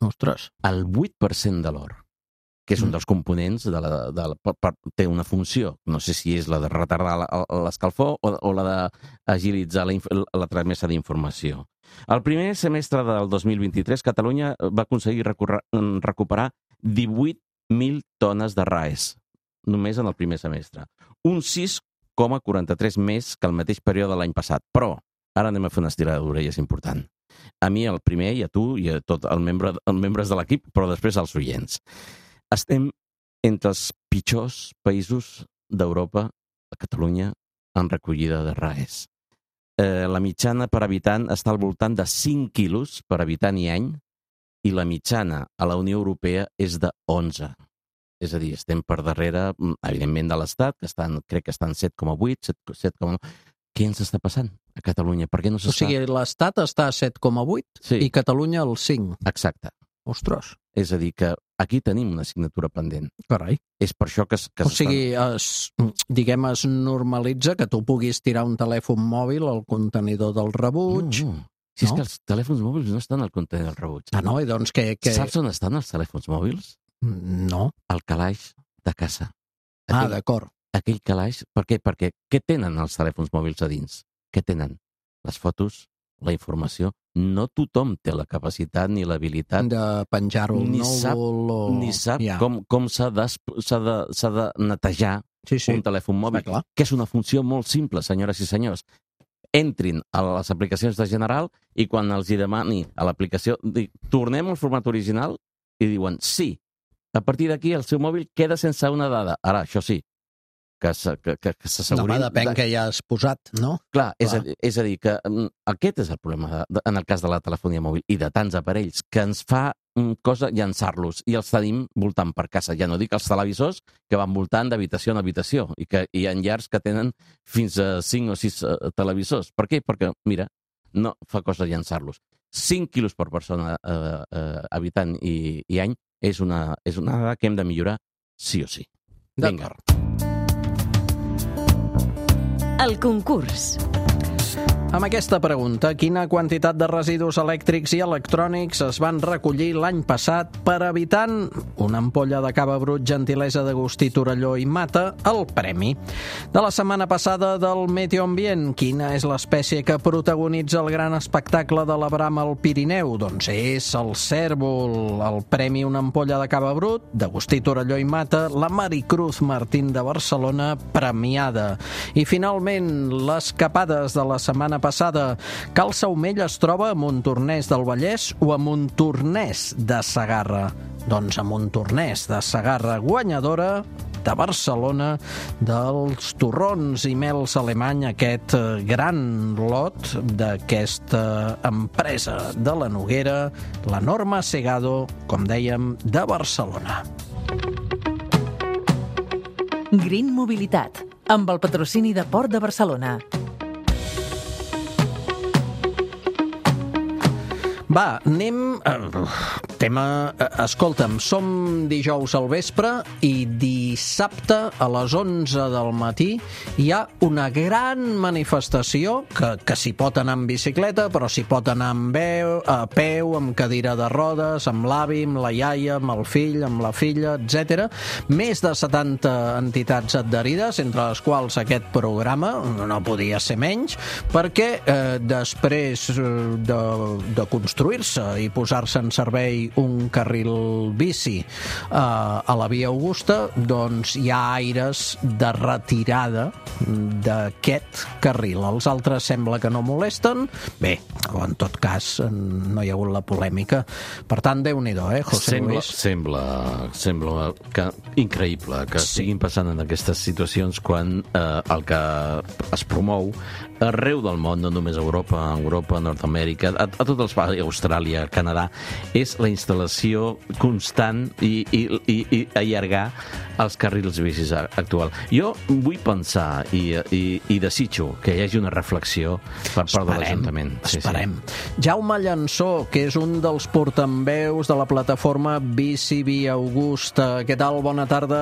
Ostres. El 8% de l'or, que és un dels components té una funció, no sé si és la de retardar l'escalfor o la d'agilitzar la tramesa d'informació. El primer semestre del 2023, Catalunya va aconseguir recuperar 18.000 tones de RAES, només en el primer semestre. Un 6,43 més que el mateix període de l'any passat. Però, ara anem a fer una estirada d'orelles important. A mi, el primer, i a tu, i a tots els membres de l'equip, però després als oients. Estem entre els pitjors països d'Europa, a Catalunya, en recollida de RAES. La mitjana per habitant està al voltant de 5 quilos per habitant i any, i la mitjana a la Unió Europea és de 11. És a dir, estem per darrere, evidentment, de l'Estat, que crec que estan 7,8, 7,9... Què ens està passant a Catalunya? Per què no s'està... O sigui, l'Estat està a 7,8 i Catalunya al 5. Exacte. Ostres. És a dir, que aquí tenim una assignatura pendent. Carai. És per això que o sigui, es normalitza que tu puguis tirar un telèfon mòbil al contenidor del rebuig. No. Si és que els telèfons mòbils no estan al contenidor del rebuig. Ah, no? I doncs que... Saps on estan els telèfons mòbils? No. Al calaix de casa. D'acord. Aquell calaix, per què? Perquè què tenen els telèfons mòbils a dins? Què tenen? Les fotos, la informació. No tothom té la capacitat ni l'habilitat de penjar-ho al núvol. Ni sap com s'ha de netejar un telèfon mòbil, que és una funció molt simple, senyores i senyors. Entrin a les aplicacions de General i quan els hi demani a l'aplicació, tornem al format original i diuen sí. A partir d'aquí el seu mòbil queda sense una dada. Ara, això sí, que s'assegurin... No, depèn que ja has posat, no? Clar, és a dir, que aquest és el problema en el cas de la telefonia mòbil i de tants aparells, que ens fa cosa llançar-los i els tenim voltant per casa. Ja no dic els televisors que van voltant d'habitació en habitació i que hi ha llars que tenen fins a 5 o 6 televisors. Per què? Perquè, mira, no fa cosa llançar-los. 5 quilos per persona habitant i any és una dada que hem de millorar sí o sí. Vinga. El concurs. Amb aquesta pregunta, quina quantitat de residus elèctrics i electrònics es van recollir l'any passat per habitant? Una ampolla de cava brut, gentilesa d'Agustí Torelló i Mata, el premi. De la setmana passada del Meteo Ambient, quina és l'espècie que protagonitza el gran espectacle de la brama al Pirineu? Doncs és el cèrvol. El premi Una ampolla de cava brut, d'Agustí Torelló i Mata, la Maricruz Martín de Barcelona, premiada. I finalment, les capades de la setmana passada. Cal Saumell es troba a Montornès del Vallès o a Montornès de Segarra? Doncs a Montornès de Segarra, guanyadora de Barcelona dels torrons i mels alemany, aquest gran lot d'aquesta empresa de la Noguera, la Norma Segado, com dèiem, de Barcelona. Green Mobilitat, amb el patrocini de Port de Barcelona. Va, anem... Escolta'm, som dijous al vespre i dissabte a les 11 del matí hi ha una gran manifestació que s'hi pot anar amb bicicleta, però s'hi pot anar a peu, amb cadira de rodes, amb l'avi, amb la iaia, amb el fill, amb la filla, etc. Més de 70 entitats adherides, entre les quals aquest programa, no podia ser menys, perquè després de construir-se i posar-se en servei un carril bici a la Via Augusta, doncs hi ha aires de retirada d'aquest carril. Els altres sembla que no molesten. Bé, en tot cas, no hi ha hagut la polèmica. Per tant, Déu-n'hi-do, José Luis? Sembla que increïble que estiguin passant en aquestes situacions quan el que es promou arreu del món, no només a Europa, Nord-amèrica, a tots els països, Austràlia, Canadà, és la instal·lació constant i allargar els carrils bicis actual. Jo vull pensar i desitjo que hi hagi una reflexió per part de l'Ajuntament. Esperem. Jaume Llançó, que és un dels portaveus de la plataforma Bici Via Augusta. Què tal? Bona tarda.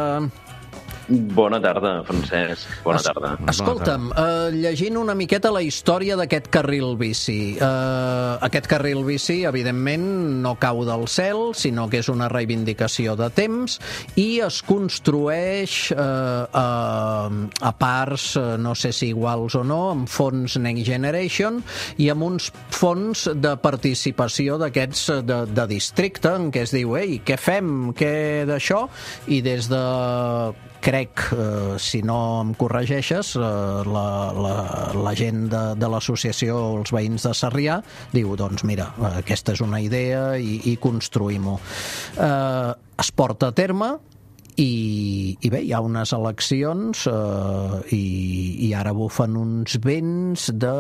Bona tarda, Francesc. Bona tarda. Escolta'm, llegint una miqueta la història d'aquest carril bici. Aquest carril bici, evidentment, no cau del cel, sinó que és una reivindicació de temps i es construeix a parts, no sé si iguals o no, amb fons Next Generation i amb uns fons de participació d'aquests de districte, en què es diu, ei, què fem, què d'això? I des de... crec, si no em corregeixes, la gent de l'associació, els veïns de Sarrià, diu, doncs mira, aquesta és una idea i construïm-ho. Es porta a terme i bé, hi ha unes eleccions i ara bufen uns vents de...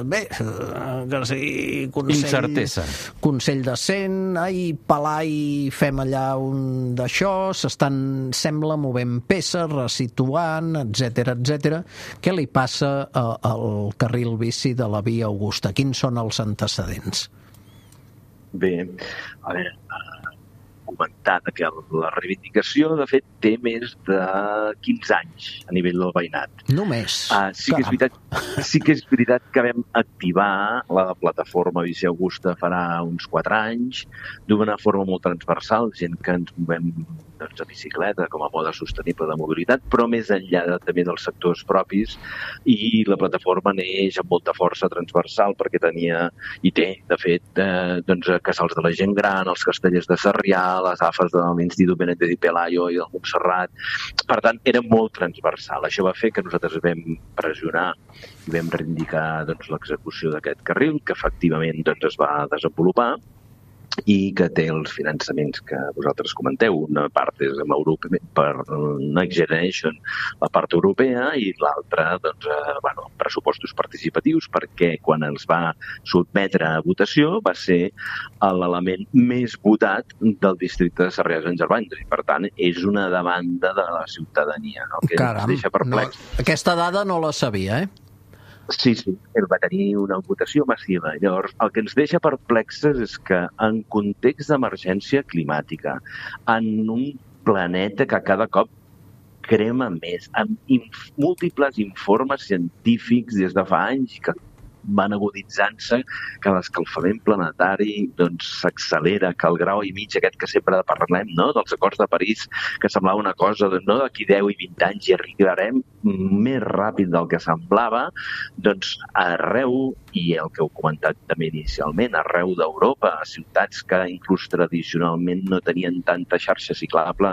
bé, que sigui incertesa. Consell de Cent, Palai, fem allà un d'això, sembla movent peces, resituant, etc. Què li passa al carril bici de la Via Augusta? Quins són els antecedents? Bé, a veure... comentar que la reivindicació, de fet, té més de 15 anys a nivell del veïnat. Només? Sí que és veritat que vam activar la plataforma Bici Augusta farà uns 4 anys, d'una forma molt transversal, gent que ens movem a bicicleta com a mode sostenible de mobilitat, però més enllà també dels sectors propis, i la plataforma neix amb molta força transversal perquè tenia, i té, de fet, casals de la gent gran, els castellers de Sarrià, les AFAs de l'Institut Benítez i Pelayo i del Montserrat. Per tant, era molt transversal. Això va fer que nosaltres vam pressionar i vam reivindicar l'execució d'aquest carril, que efectivament es va desenvolupar i que té els finançaments que vosaltres comenteu. Una part és amb Europa, per Next Generation, la part europea, i l'altra, pressupostos participatius, perquè quan els va sotmetre a votació va ser l'element més votat del districte de Sarrià Sant Gervans. I, per tant, és una demanda de la ciutadania. El que ens deixa perplex. Aquesta dada no la sabia, Sí, ell va tenir una votació massiva. Llavors, el que ens deixa perplexes és que en context d'emergència climàtica, en un planeta que cada cop crema més, amb múltiples informes científics des de fa anys que van aguditzant-se, que l'escalfament planetari s'accelera, que el grau i mig aquest que sempre parlem, dels acords de París, que semblava una cosa d'aquí 10 i 20 anys i arribarem més ràpid del que semblava, arreu, i el que heu comentat també inicialment, arreu d'Europa, ciutats que inclús tradicionalment no tenien tanta xarxa ciclable,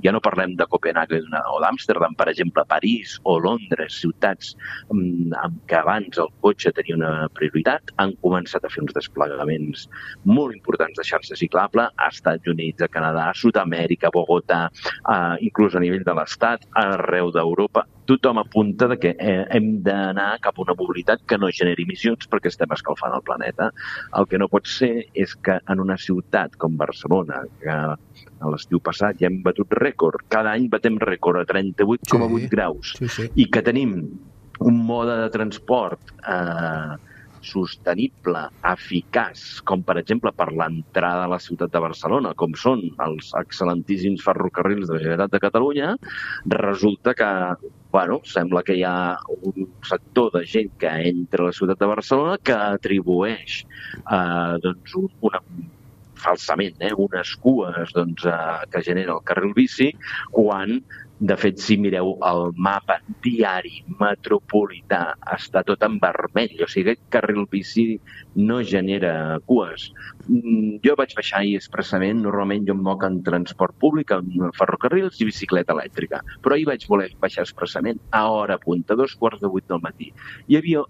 ja no parlem de Copenhague o d'Amsterdam, per exemple, París o Londres, ciutats amb què abans el cotxe tenia una prioritat, han començat a fer uns desplegaments molt importants de xarxa ciclable a Estats Units, a Canadà, a Sud-amèrica, a Bogotà, inclús a nivell de l'Estat, arreu d'Europa. Tothom apunta que hem d'anar cap a una mobilitat que no generi emissions perquè estem escalfant el planeta. El que no pot ser és que en una ciutat com Barcelona, que a l'estiu passat ja hem batut rècord, cada any batem rècord a 38,8 graus, i que tenim un mode de transport sostenible, eficaç, com per exemple per l'entrada a la ciutat de Barcelona, com són els excel·lentíssims ferrocarrils de la Generalitat de Catalunya, resulta que sembla que hi ha un sector de gent que entra a la ciutat de Barcelona que atribueix falsament unes cues que genera el carril bici, quan de fet, si mireu el mapa diari metropolità, està tot en vermell. O sigui, aquest carril bici no genera cues. Jo vaig baixar ahir expressament, normalment jo em moc en transport públic, en ferrocarrils i bicicleta elèctrica, però ahir vaig voler baixar expressament a hora punta, 7:45 del matí. Hi havia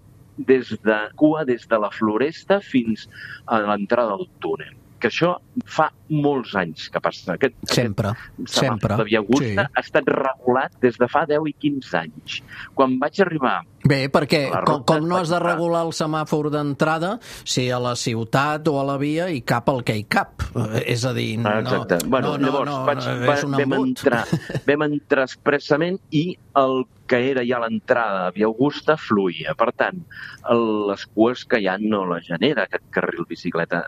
cua des de la Floresta fins a l'entrada del túnel, que això fa molts anys que passa. Sempre. La Via Augusta ha estat regulat des de fa 10 i 15 anys. Quan vaig arribar... Bé, perquè com no has de regular el semàfor d'entrada si a la ciutat o a la via hi cap el que hi cap? És a dir, exacte. Llavors vam entrar expressament i el que era ja l'entrada a Via Augusta fluïa. Per tant, les cues que hi ha no la genera aquest carril bicicleta.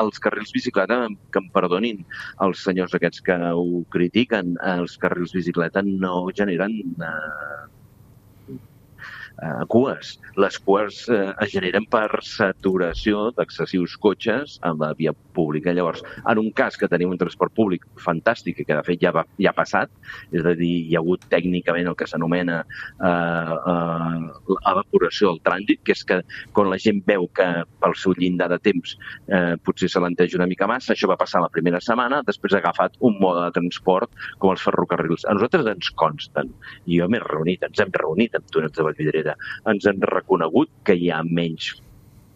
Els carrils bicicleta, que em perdonin els senyors aquests que ho critiquen, els carrils bicicleta no generen cues. Les cues es generen per saturació d'excessius cotxes a la via pública. Llavors, en un cas que tenim un transport públic fantàstic i que de fet ja ha passat, és a dir, hi ha hagut tècnicament el que s'anomena evaporació del trànsit, que és que quan la gent veu que pel seu llindar de temps potser s'alenteja una mica massa, això va passar la primera setmana, després ha agafat un mode de transport com els ferrocarrils. A nosaltres ens consten, i jo ens hem reunit amb túnels de Vallvidrera, ens han reconegut que hi ha menys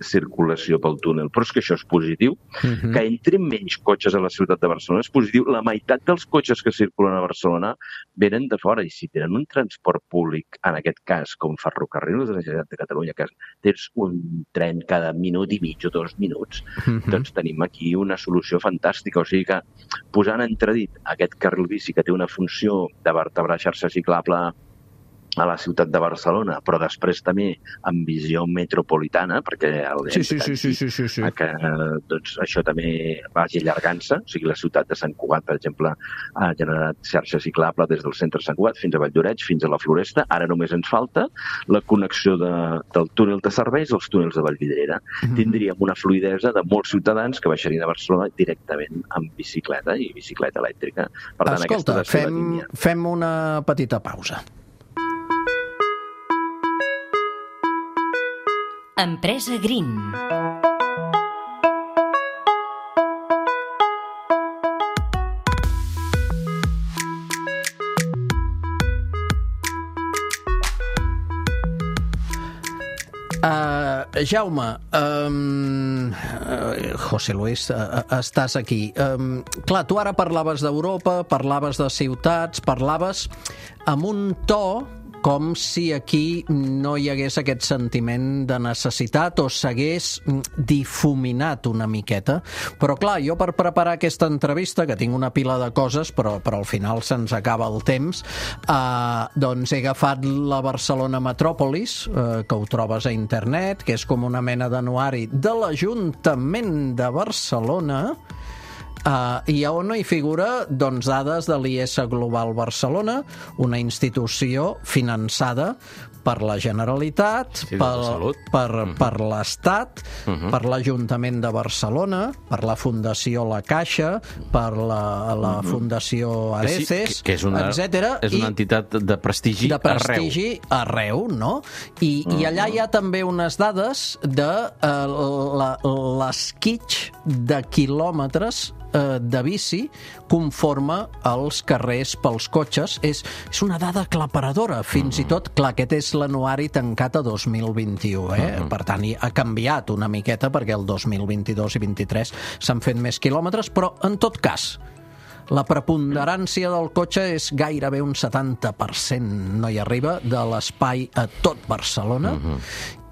circulació pel túnel, però és que això és positiu. Que entrin menys cotxes a la ciutat de Barcelona és positiu. La meitat dels cotxes que circulen a Barcelona venen de fora, i si tenen un transport públic, en aquest cas, com ferrocarrils de la Generalitat de Catalunya, que tens un tren cada minut i mig o 2 minuts, doncs tenim aquí una solució fantàstica. O sigui que, posant en entredit aquest carril bici que té una funció de vertebrar xarxa ciclable a la ciutat de Barcelona, però després també amb visió metropolitana, perquè que doncs, això també vagi allargant-se. O sigui, la ciutat de Sant Cugat, per exemple, ha generat xarxa ciclable des del centre de Sant Cugat fins a Valldoreix, fins a la Floresta. Ara només ens falta la connexió del túnel de serveis als túnels de Vallvidrera. Tindríem una fluïdesa de molts ciutadans que baixarien a Barcelona directament amb bicicleta i bicicleta elèctrica. Per tant, escolta, fem una petita pausa. Empresa Green. Jaume, José Luis, estàs aquí. Clar, tu ara parlaves d'Europa, parlaves de ciutats, parlaves amb un to com si aquí no hi hagués aquest sentiment de necessitat o s'hagués difuminat una miqueta. Però clar, jo per preparar aquesta entrevista, que tinc una pila de coses, però al final se'ns acaba el temps, doncs he agafat la Barcelona Metròpolis, que ho trobes a internet, que és com una mena d'anuari de l'Ajuntament de Barcelona, i on hi figura doncs, dades de l'IS Global Barcelona, una institució finançada per la Generalitat, per l'Estat, per l'Ajuntament de Barcelona, per la Fundació La Caixa, per la Fundació Areces, etc. És una entitat de prestigi arreu, no? I allà hi ha també unes dades de l'esquitx de quilòmetres de bici conforme als carrers pels cotxes. És una dada aclaparadora. Fins i tot, clar, aquest és l'anuari tancat a 2021. Per tant, ha canviat una miqueta perquè el 2022 i 2023 s'han fet més quilòmetres, però en tot cas la preponderància del cotxe és gairebé un 70%, no hi arriba, de l'espai a tot Barcelona.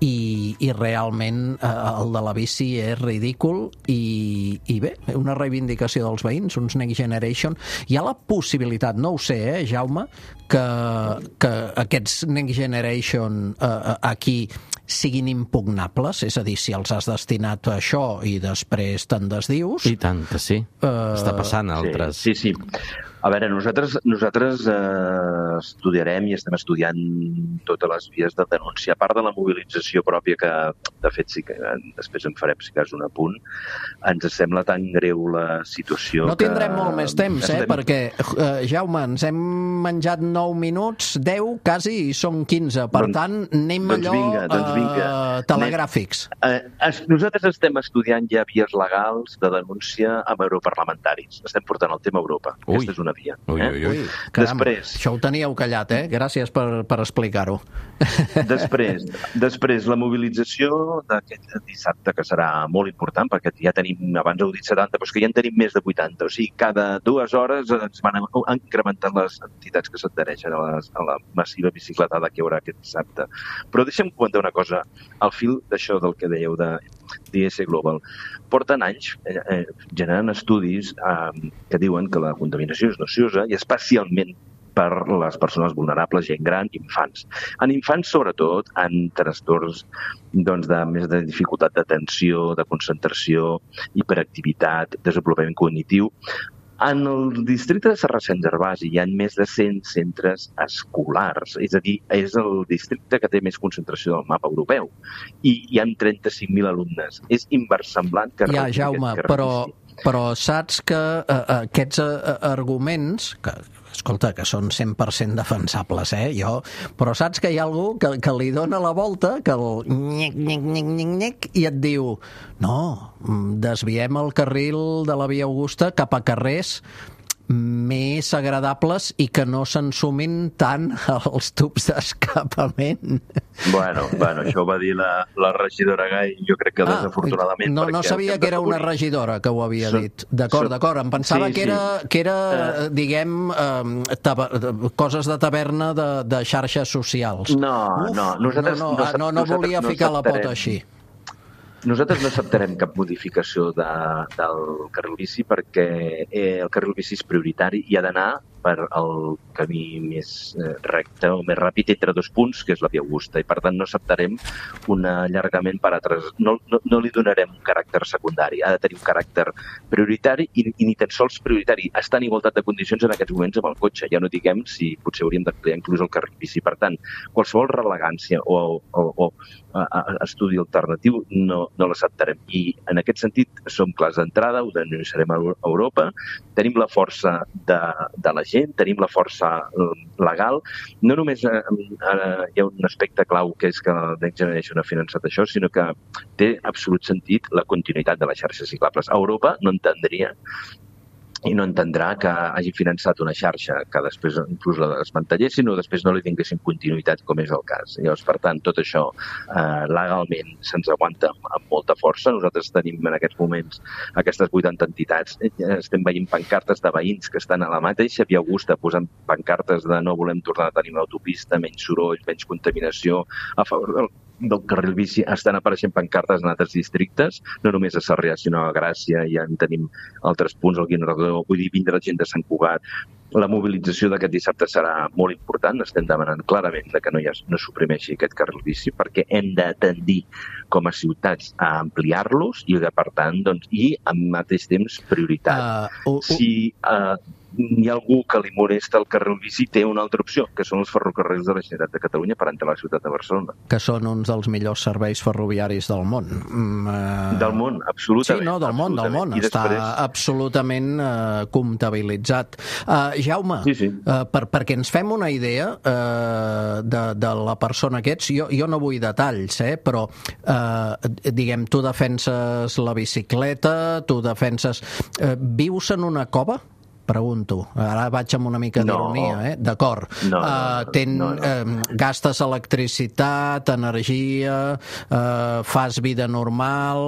I realment el de la bici és ridícul i bé, una reivindicació dels veïns, uns Next Generation. Hi ha la possibilitat, no ho sé, Jaume, que aquests Next Generation aquí siguin impugnables, és a dir, si els has destinat a això i després te'n desdius... I tant que sí, està passant a altres... Sí. A veure, nosaltres estudiarem i estem estudiant totes les vies de denúncia, a part de la mobilització pròpia, que de fet sí que després en farem, si cas, un apunt. Ens sembla tan greu la situació... No tindrem molt més temps, perquè, Jaume, ens hem menjat 9 minuts, 10 quasi, i són 15. Per tant, anem telegràfics. Nosaltres estem estudiant ja vies legals de denúncia amb europarlamentaris. Estem portant el tema a Europa. Aquesta és una dia. Ui. Caram, Després, això ho teníeu callat, Gràcies per explicar-ho. Després, la mobilització d'aquest dissabte, que serà molt important, perquè ja tenim, abans heu dit 70, però és que ja en tenim més de 80. O sigui, cada 2 hores ens van incrementant les entitats que s'adhereixen a la massiva bicicletada que hi haurà aquest dissabte. Però deixa'm comentar una cosa, al fil d'això del que dèieu de d'IS Global. Porten anys generant estudis que diuen que la contaminació és nociosa i especialment per les persones vulnerables, gent gran i infants. En infants, sobretot, en trastorns més de dificultat d'atenció, de concentració, hiperactivitat, desenvolupament cognitiu. En el districte de Sarracens-Arbàs hi ha més de 100 centres escolars, és a dir, és el districte que té més concentració del mapa europeu, i hi ha 35.000 alumnes. És inversemblant que... Ja, Jaume, però saps que aquests arguments, que escolta, que són 100% defensables, però saps que hi ha algú que li dona la volta, que el nyec, i et diu no, desviem el carril de la Via Augusta cap a carrers més agradables i que no s'ensumin tant els tubs d'escapament. Bueno, això ho va dir la regidora Gai, jo crec que desafortunadament... No sabia que era una regidora que ho havia dit. D'acord, em pensava que era, diguem, coses de taverna de xarxes socials. No volia ficar la pota així. Nosaltres no acceptarem cap modificació del carril bici perquè el carril bici és prioritari i ha d'anar per el camí més recte o més ràpid entre 2 punts, que és la Via Augusta, i per tant no acceptarem un allargament per altres. No li donarem un caràcter secundari, ha de tenir un caràcter prioritari i ni tan sols prioritari. Està en igualtat de condicions en aquests moments amb el cotxe, ja no diguem si potser hauríem d'ampliar inclús el carril bici. Per tant, qualsevol relegància o estudi alternatiu no l'acceptarem. I en aquest sentit som clars d'entrada, ho denunciarem a Europa, tenim la força de la gent, tenim la força legal. No només hi ha un aspecte clau que és que Next Generation ha finançat això, sinó que té absolut sentit la continuïtat de les xarxes ciclables. Europa no entendria i no entendrà que hagi finançat una xarxa que després inclús la desmantellessin o després no li tinguessin continuïtat, com és el cas. Llavors, per tant, tot això legalment se'ns aguanta amb molta força. Nosaltres tenim en aquests moments aquestes 80 entitats. Estem veient pancartes de veïns que estan a la mateixa Via Augusta posant pancartes de no volem tornar a tenir una autopista, menys soroll, menys contaminació, a favor del carril bici. Estan apareixent pancartes en altres districtes, no només a Sarrià, sinó a Gràcia, ja en tenim altres punts, al Guinardó, vull dir, vindrà gent de Sant Cugat. La mobilització d'aquest dissabte serà molt important, estem demanant clarament que no suprimeixi aquest carril bici, perquè hem de tendir com a ciutats a ampliar-los i, per tant, i al mateix temps prioritat. Si hi ha algú que li molesta el carril bici, té una altra opció, que són els ferrocarrils de la Generalitat de Catalunya per entrar a la ciutat de Barcelona. Que són uns dels millors serveis ferroviaris del món. Del món, absolutament. Sí, no, del món. Està absolutament comptabilitzat. Jaume, perquè ens fem una idea de la persona que ets, jo no vull detalls, però diguem, tu defenses la bicicleta, tu defenses... Vius en una cova? Pregunto. Ara vaig amb una mica d'ironia, d'acord. Gastes electricitat, energia, fas vida normal,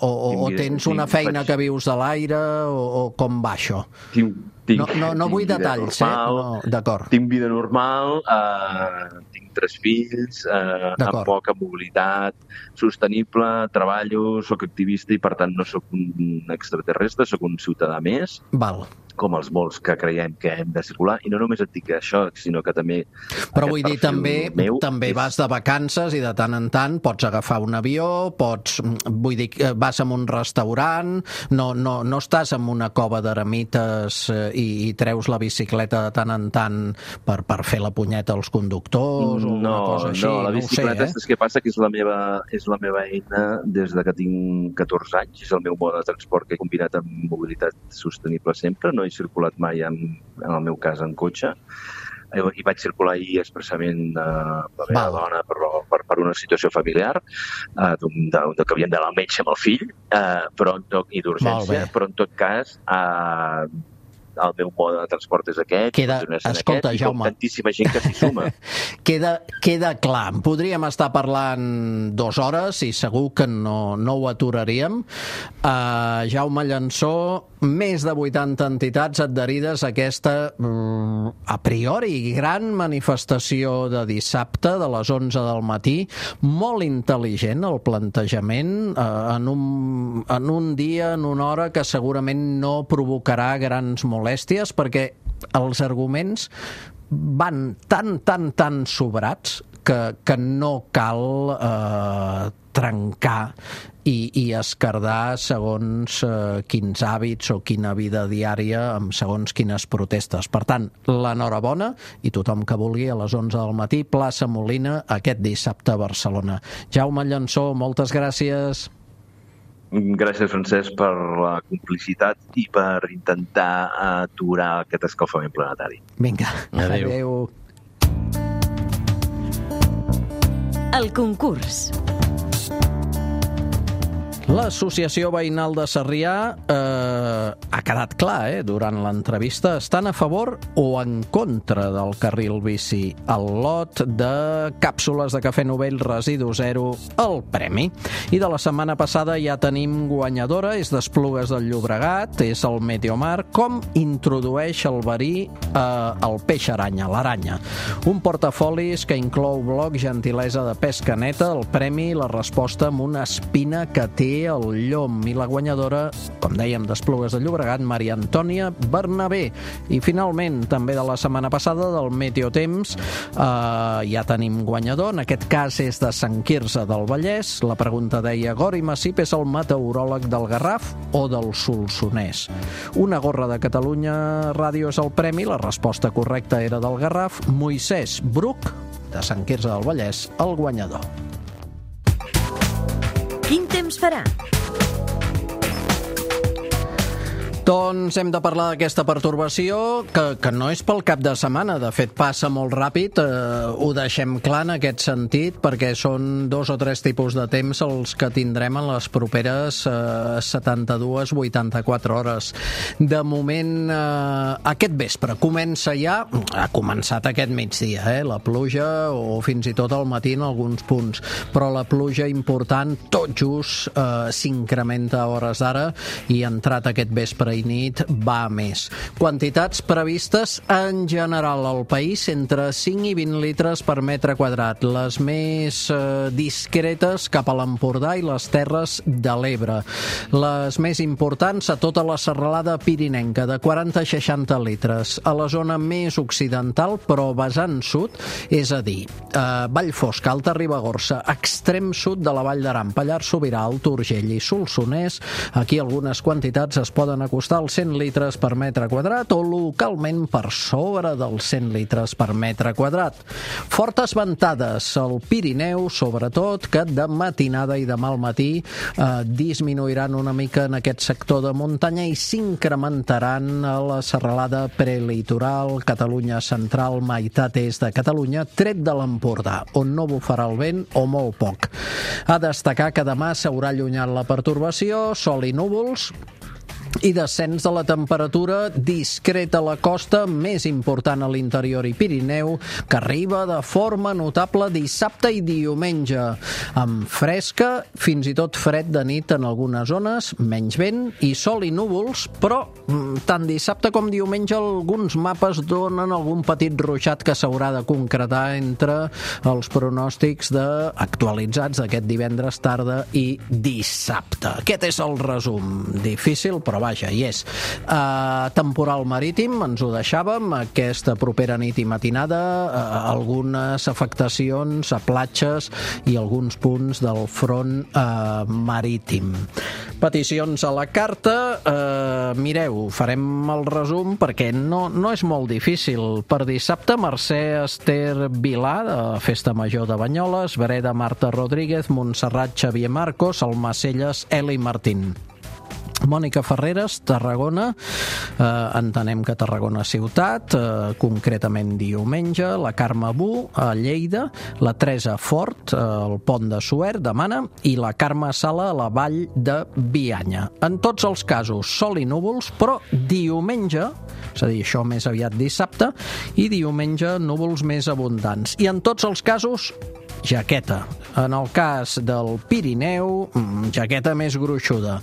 o tens una feina que vius de l'aire, o com va això? No vull detalls, d'acord. Tinc vida normal, tinc 3 fills, amb poca mobilitat sostenible, treballo, soc activista i per tant no sóc un extraterrestre, sóc un ciutadà més. Val. Com els molts que creiem que hem de circular, i no només et dic això, sinó que també... Però vull dir, també vas de vacances i de tant en tant pots agafar un avió, vas a un restaurant, no estàs en una cova d'eremites i treus la bicicleta de tant en tant per fer la punyeta als conductors o una cosa així. No, la bicicleta és que passa que és la meva eina des de que tinc 14 anys, és el meu mode de transport que he combinat amb mobilitat sostenible sempre, no he circulat mai, en el meu cas, en cotxe. I vaig circular ahir expressament la meva dona per una situació familiar, que havíem d'anar al metge amb el fill, i d'urgència, però en tot cas el meu mode de transport és aquest, escolta, aquest, Jaume, i com tantíssima gent que s'hi suma. Queda clar. Podríem estar parlant 2 hores i segur que no ho aturaríem. Jaume Llançó, més de 80 entitats adherides a aquesta, a priori, gran manifestació de dissabte de les 11 del matí. Molt intel·ligent el plantejament, en un dia, en una hora que segurament no provocarà grans molèsties, perquè els arguments van tan sobrats que no cal trencar i esquerdar segons quins hàbits o quina vida diària amb segons quines protestes. Per tant, l'enhorabona, i tothom que vulgui, a les 11 del matí, plaça Molina, aquest dissabte a Barcelona. Jaume Llançó, moltes gràcies. Gràcies, Francesc, per la complicitat i per intentar aturar aquest escalfament planetari. Vinga, adéu. El concurs. L'Associació Veïnal de Sarrià ha quedat clar, durant l'entrevista, estan a favor o en contra del carril bici. El lot de càpsules de cafè Novell Residu Zero, el premi. I de la setmana passada ja tenim guanyadora, és d'Esplugues del Llobregat, és el Meteomar, com introdueix el verí el peix aranya, l'aranya. Un portafolis que inclou bloc, gentilesa de pesca neta, el premi, la resposta amb una espina que té el llom, i la guanyadora, com dèiem, d'Esplugues de Llobregat, Maria Antònia Bernabé. I finalment, també de la setmana passada, del Meteotemps, ja tenim guanyador, en aquest cas és de Sant Quirze del Vallès. La pregunta deia: Gori Massip és el meteoròleg del Garraf o del Solsonès? Una gorra de Catalunya Ràdio és el premi, la resposta correcta era del Garraf. Moisès Bruc, de Sant Quirze del Vallès, el guanyador. Quin temps farà? Doncs hem de parlar d'aquesta pertorbació que no és pel cap de setmana, de fet passa molt ràpid, ho deixem clar en aquest sentit, perquè són 2 o 3 tipus de temps els que tindrem en les properes 72-84 hores. De moment, aquest vespre comença ja, ha començat aquest migdia, la pluja, o fins i tot al matí en alguns punts, però la pluja important tot just s'incrementa a hores d'ara i entrat aquest vespre i nit va més. Quantitats previstes en general al país entre 5 i 20 litres per metre quadrat. Les més discretes cap a l'Empordà i les Terres de l'Ebre. Les més importants a tota la serralada pirinenca, de 40 a 60 litres. A la zona més occidental, però vessant sud, és a dir, Vallfosca, Alta Ribagorça, extrem sud de la Vall d'Aran, Pallars Sobirà, Alt Urgell i Solsonès, aquí algunes quantitats es poden acostar als 100 litres per metre quadrat o localment per sobre dels 100 litres per metre quadrat. Fortes ventades al Pirineu, sobretot, que de matinada i demà al matí disminuiran una mica en aquest sector de muntanya i s'incrementaran a la serralada prelitoral, Catalunya central, meitat est de Catalunya, tret de l'Empordà, on no bufarà el vent o molt poc. A destacar que demà s'haurà allunyat la pertorbació, sol i núvols, i descens de la temperatura discreta a la costa, més important a l'interior i Pirineu, que arriba de forma notable dissabte i diumenge, amb fresca, fins i tot fred de nit en algunes zones, menys vent i sol i núvols, però tant dissabte com diumenge alguns mapes donen algun petit ruixat que s'haurà de concretar entre els pronòstics actualitzats d'aquest divendres tarda i dissabte. Aquest és el resum. Difícil, però vaja, hi és. Temporal marítim, ens ho deixàvem, aquesta propera nit i matinada, algunes afectacions a platges i alguns punts del front marítim. Peticions a la carta, mireu, farem el resum perquè no és molt difícil. Per dissabte, Mercè Ester Vilà, de Festa Major de Banyoles, Breda Marta Rodríguez, Montserrat Xavier Marcos, Almacelles Eli Martín. Mònica Ferreres, Tarragona, entenem que Tarragona ciutat, concretament diumenge, la Carme Bu, a Lleida, la Teresa Fort, al Pont de Suert, demana, i la Carme Sala a la Vall de Bianya. En tots els casos, sol i núvols, però diumenge és a dir, això més aviat dissabte, i diumenge núvols més abundants. I en tots els casos, jaqueta. En el cas del Pirineu, jaqueta més gruixuda.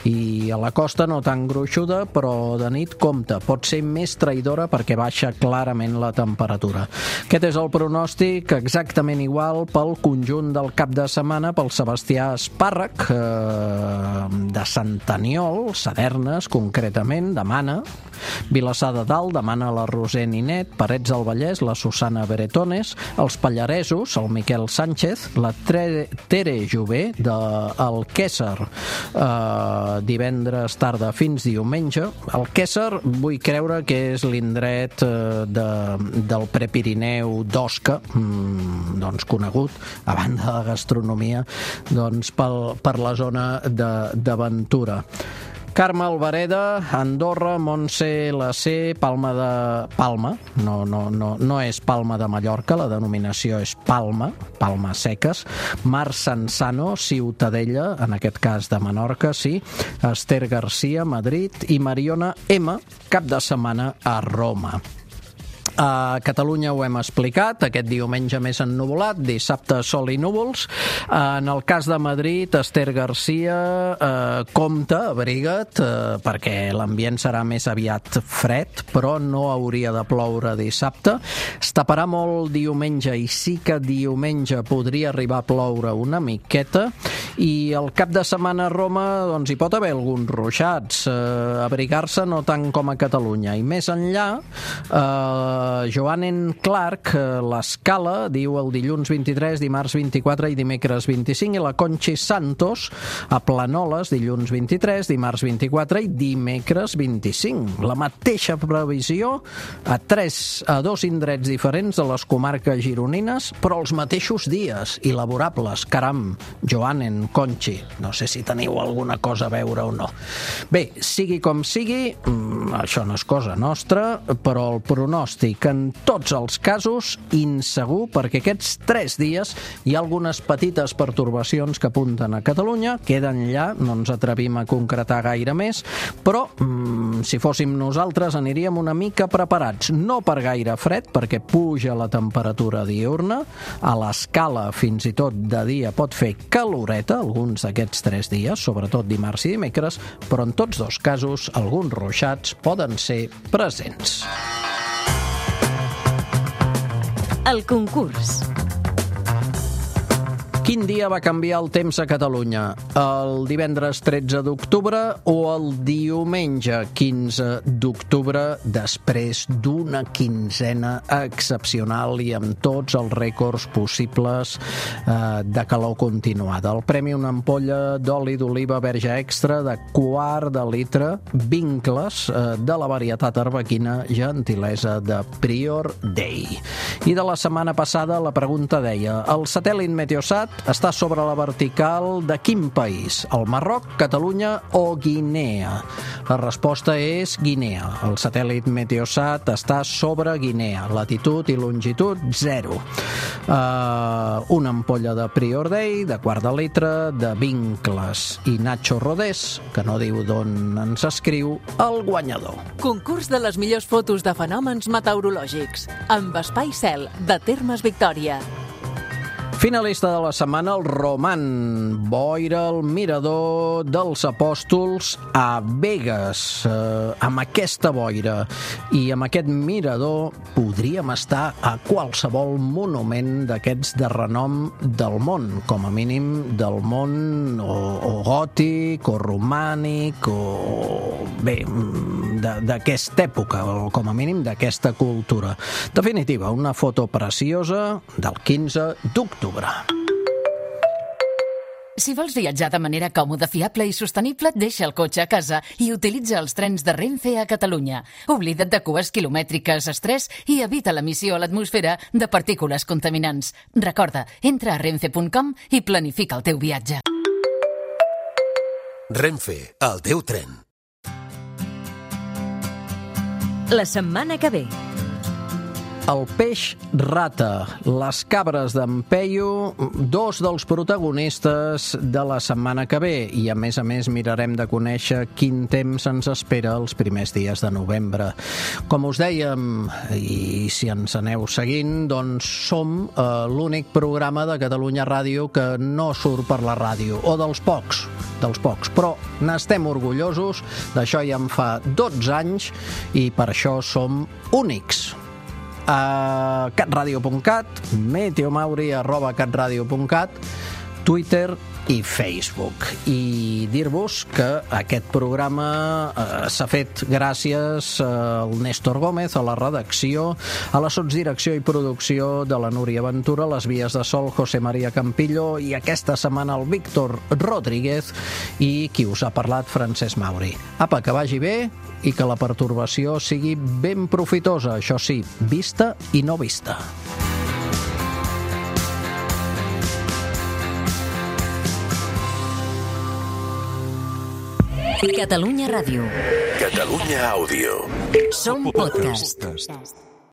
I a la costa no tan gruixuda, però de nit compte. Pot ser més traïdora perquè baixa clarament la temperatura. Aquest és el pronòstic exactament igual pel conjunt del cap de setmana pel Sebastià Espàrrec, de Sant Aniol, Sadernes, concretament, demana. Vilassar de Dalt demana la Roser Ninet, Parets del Vallès, la Susana Beretones, els Pallaresos, el Miquel Sánchez, la Tere Jové del Quésser, divendres tarda fins diumenge. El Quésser vull creure que és l'indret del Prepirineu d'Osca, doncs conegut, a banda de la gastronomia, doncs per la zona d'Aventura. Carme Albareda, Andorra, Montse, la C, Palma, no és Palma de Mallorca, la denominació és Palma Seques, Mar Sansano, Ciutadella, en aquest cas de Menorca, sí, Esther Garcia, Madrid, i Mariona M, cap de setmana a Roma. A Catalunya ho hem explicat, aquest diumenge més ennuvolat, dissabte sol i núvols. En el cas de Madrid, Esther Garcia, compte, abriga't, perquè l'ambient serà més aviat fred, però no hauria de ploure dissabte. Es taparà molt diumenge i sí que diumenge podria arribar a ploure una miqueta, i el cap de setmana a Roma doncs hi pot haver alguns ruixats, abrigar-se no tant com a Catalunya. I més enllà, Joanen Clark, l'Escala, diu el dilluns 23, dimarts 24 i dimecres 25, i la Conchi Santos, a Planoles, dilluns 23, dimarts 24 i dimecres 25. La mateixa previsió a dos indrets diferents de les comarques gironines, però els mateixos dies i laborables. Caram, Joanen, Conchi, no sé si teniu alguna cosa a veure o no. Bé, sigui com sigui, això no és cosa nostra, però el pronòstic en tots els casos insegur, perquè aquests 3 dies hi ha algunes petites pertorbacions que apunten a Catalunya, queden allà, no ens atrevim a concretar gaire més, però si fóssim nosaltres aniríem una mica preparats, no per gaire fred, perquè puja la temperatura diurna, a l'Escala fins i tot de dia pot fer caloreta alguns d'aquests 3 dies, sobretot dimarts i dimecres, però en tots dos casos alguns ruixats poden ser presents. El concurs. Quin dia va canviar el temps a Catalunya? El divendres 13 d'octubre o el diumenge 15 d'octubre, després d'una quinzena excepcional i amb tots els rècords possibles de calor continuada? El premi, una ampolla d'oli d'oliva verge extra de 1/4 de litre, vincles de la varietat arbequina, gentilesa de Prior Day. I de la setmana passada la pregunta deia: el satèl·lit Meteosat està sobre la vertical de quin país? El Marroc, Catalunya o Guinea? La resposta és Guinea. El satèl·lit Meteosat està sobre Guinea. Latitud i longitud 0. Una ampolla de Prior Day de 1/4 de litre de vincles. I Nacho Rodés, que no diu d'on ens escriu, el guanyador. Concurs de les millors fotos de fenòmens meteorològics amb Espai Cel, de Termes Victòria. Finalista de la setmana, el Roman, boira al mirador dels Apòstols a Begues. Amb aquesta boira i amb aquest mirador podríem estar a qualsevol monument d'aquests de renom del món, com a mínim del món o gòtic o romànic o bé, d'aquesta època, o com a mínim d'aquesta cultura. Definitiva, una foto preciosa del 15 d'octubre. Si vols viatjar de manera còmoda, fiable i sostenible, deixa el cotxe a casa i utilitza els trens de Renfe a Catalunya. Oblida't de cues quilomètriques, estrès i evita l'emissió a l'atmosfera de partícules contaminants. Recorda, entra a renfe.com i planifica el teu viatge. Renfe, el teu tren. La setmana que ve. El peix rata, les cabres d'en Peyu, dos dels protagonistes de la setmana que ve, i a més mirarem de conèixer quin temps ens espera els primers dies de novembre. Com us dèiem, i si ens aneu seguint, doncs som l'únic programa de Catalunya Ràdio que no surt per la ràdio, o dels pocs, però n'estem orgullosos, d'això ja en fa 12 anys i per això som únics. A catradio.cat, meteomauri@catradio.cat, Twitter i Facebook. I dir-vos que aquest programa s'ha fet gràcies al Néstor Gómez, a la redacció, a la sotsdirecció i producció de la Núria Ventura, les vies de sol José María Campillo i aquesta setmana el Víctor Rodríguez i qui us ha parlat, Francesc Mauri. Apa, que vagi bé i que la pertorbació sigui ben profitosa, això sí, vista i no vista. Catalunya Ràdio. Catalunya Àudio. Som podcast.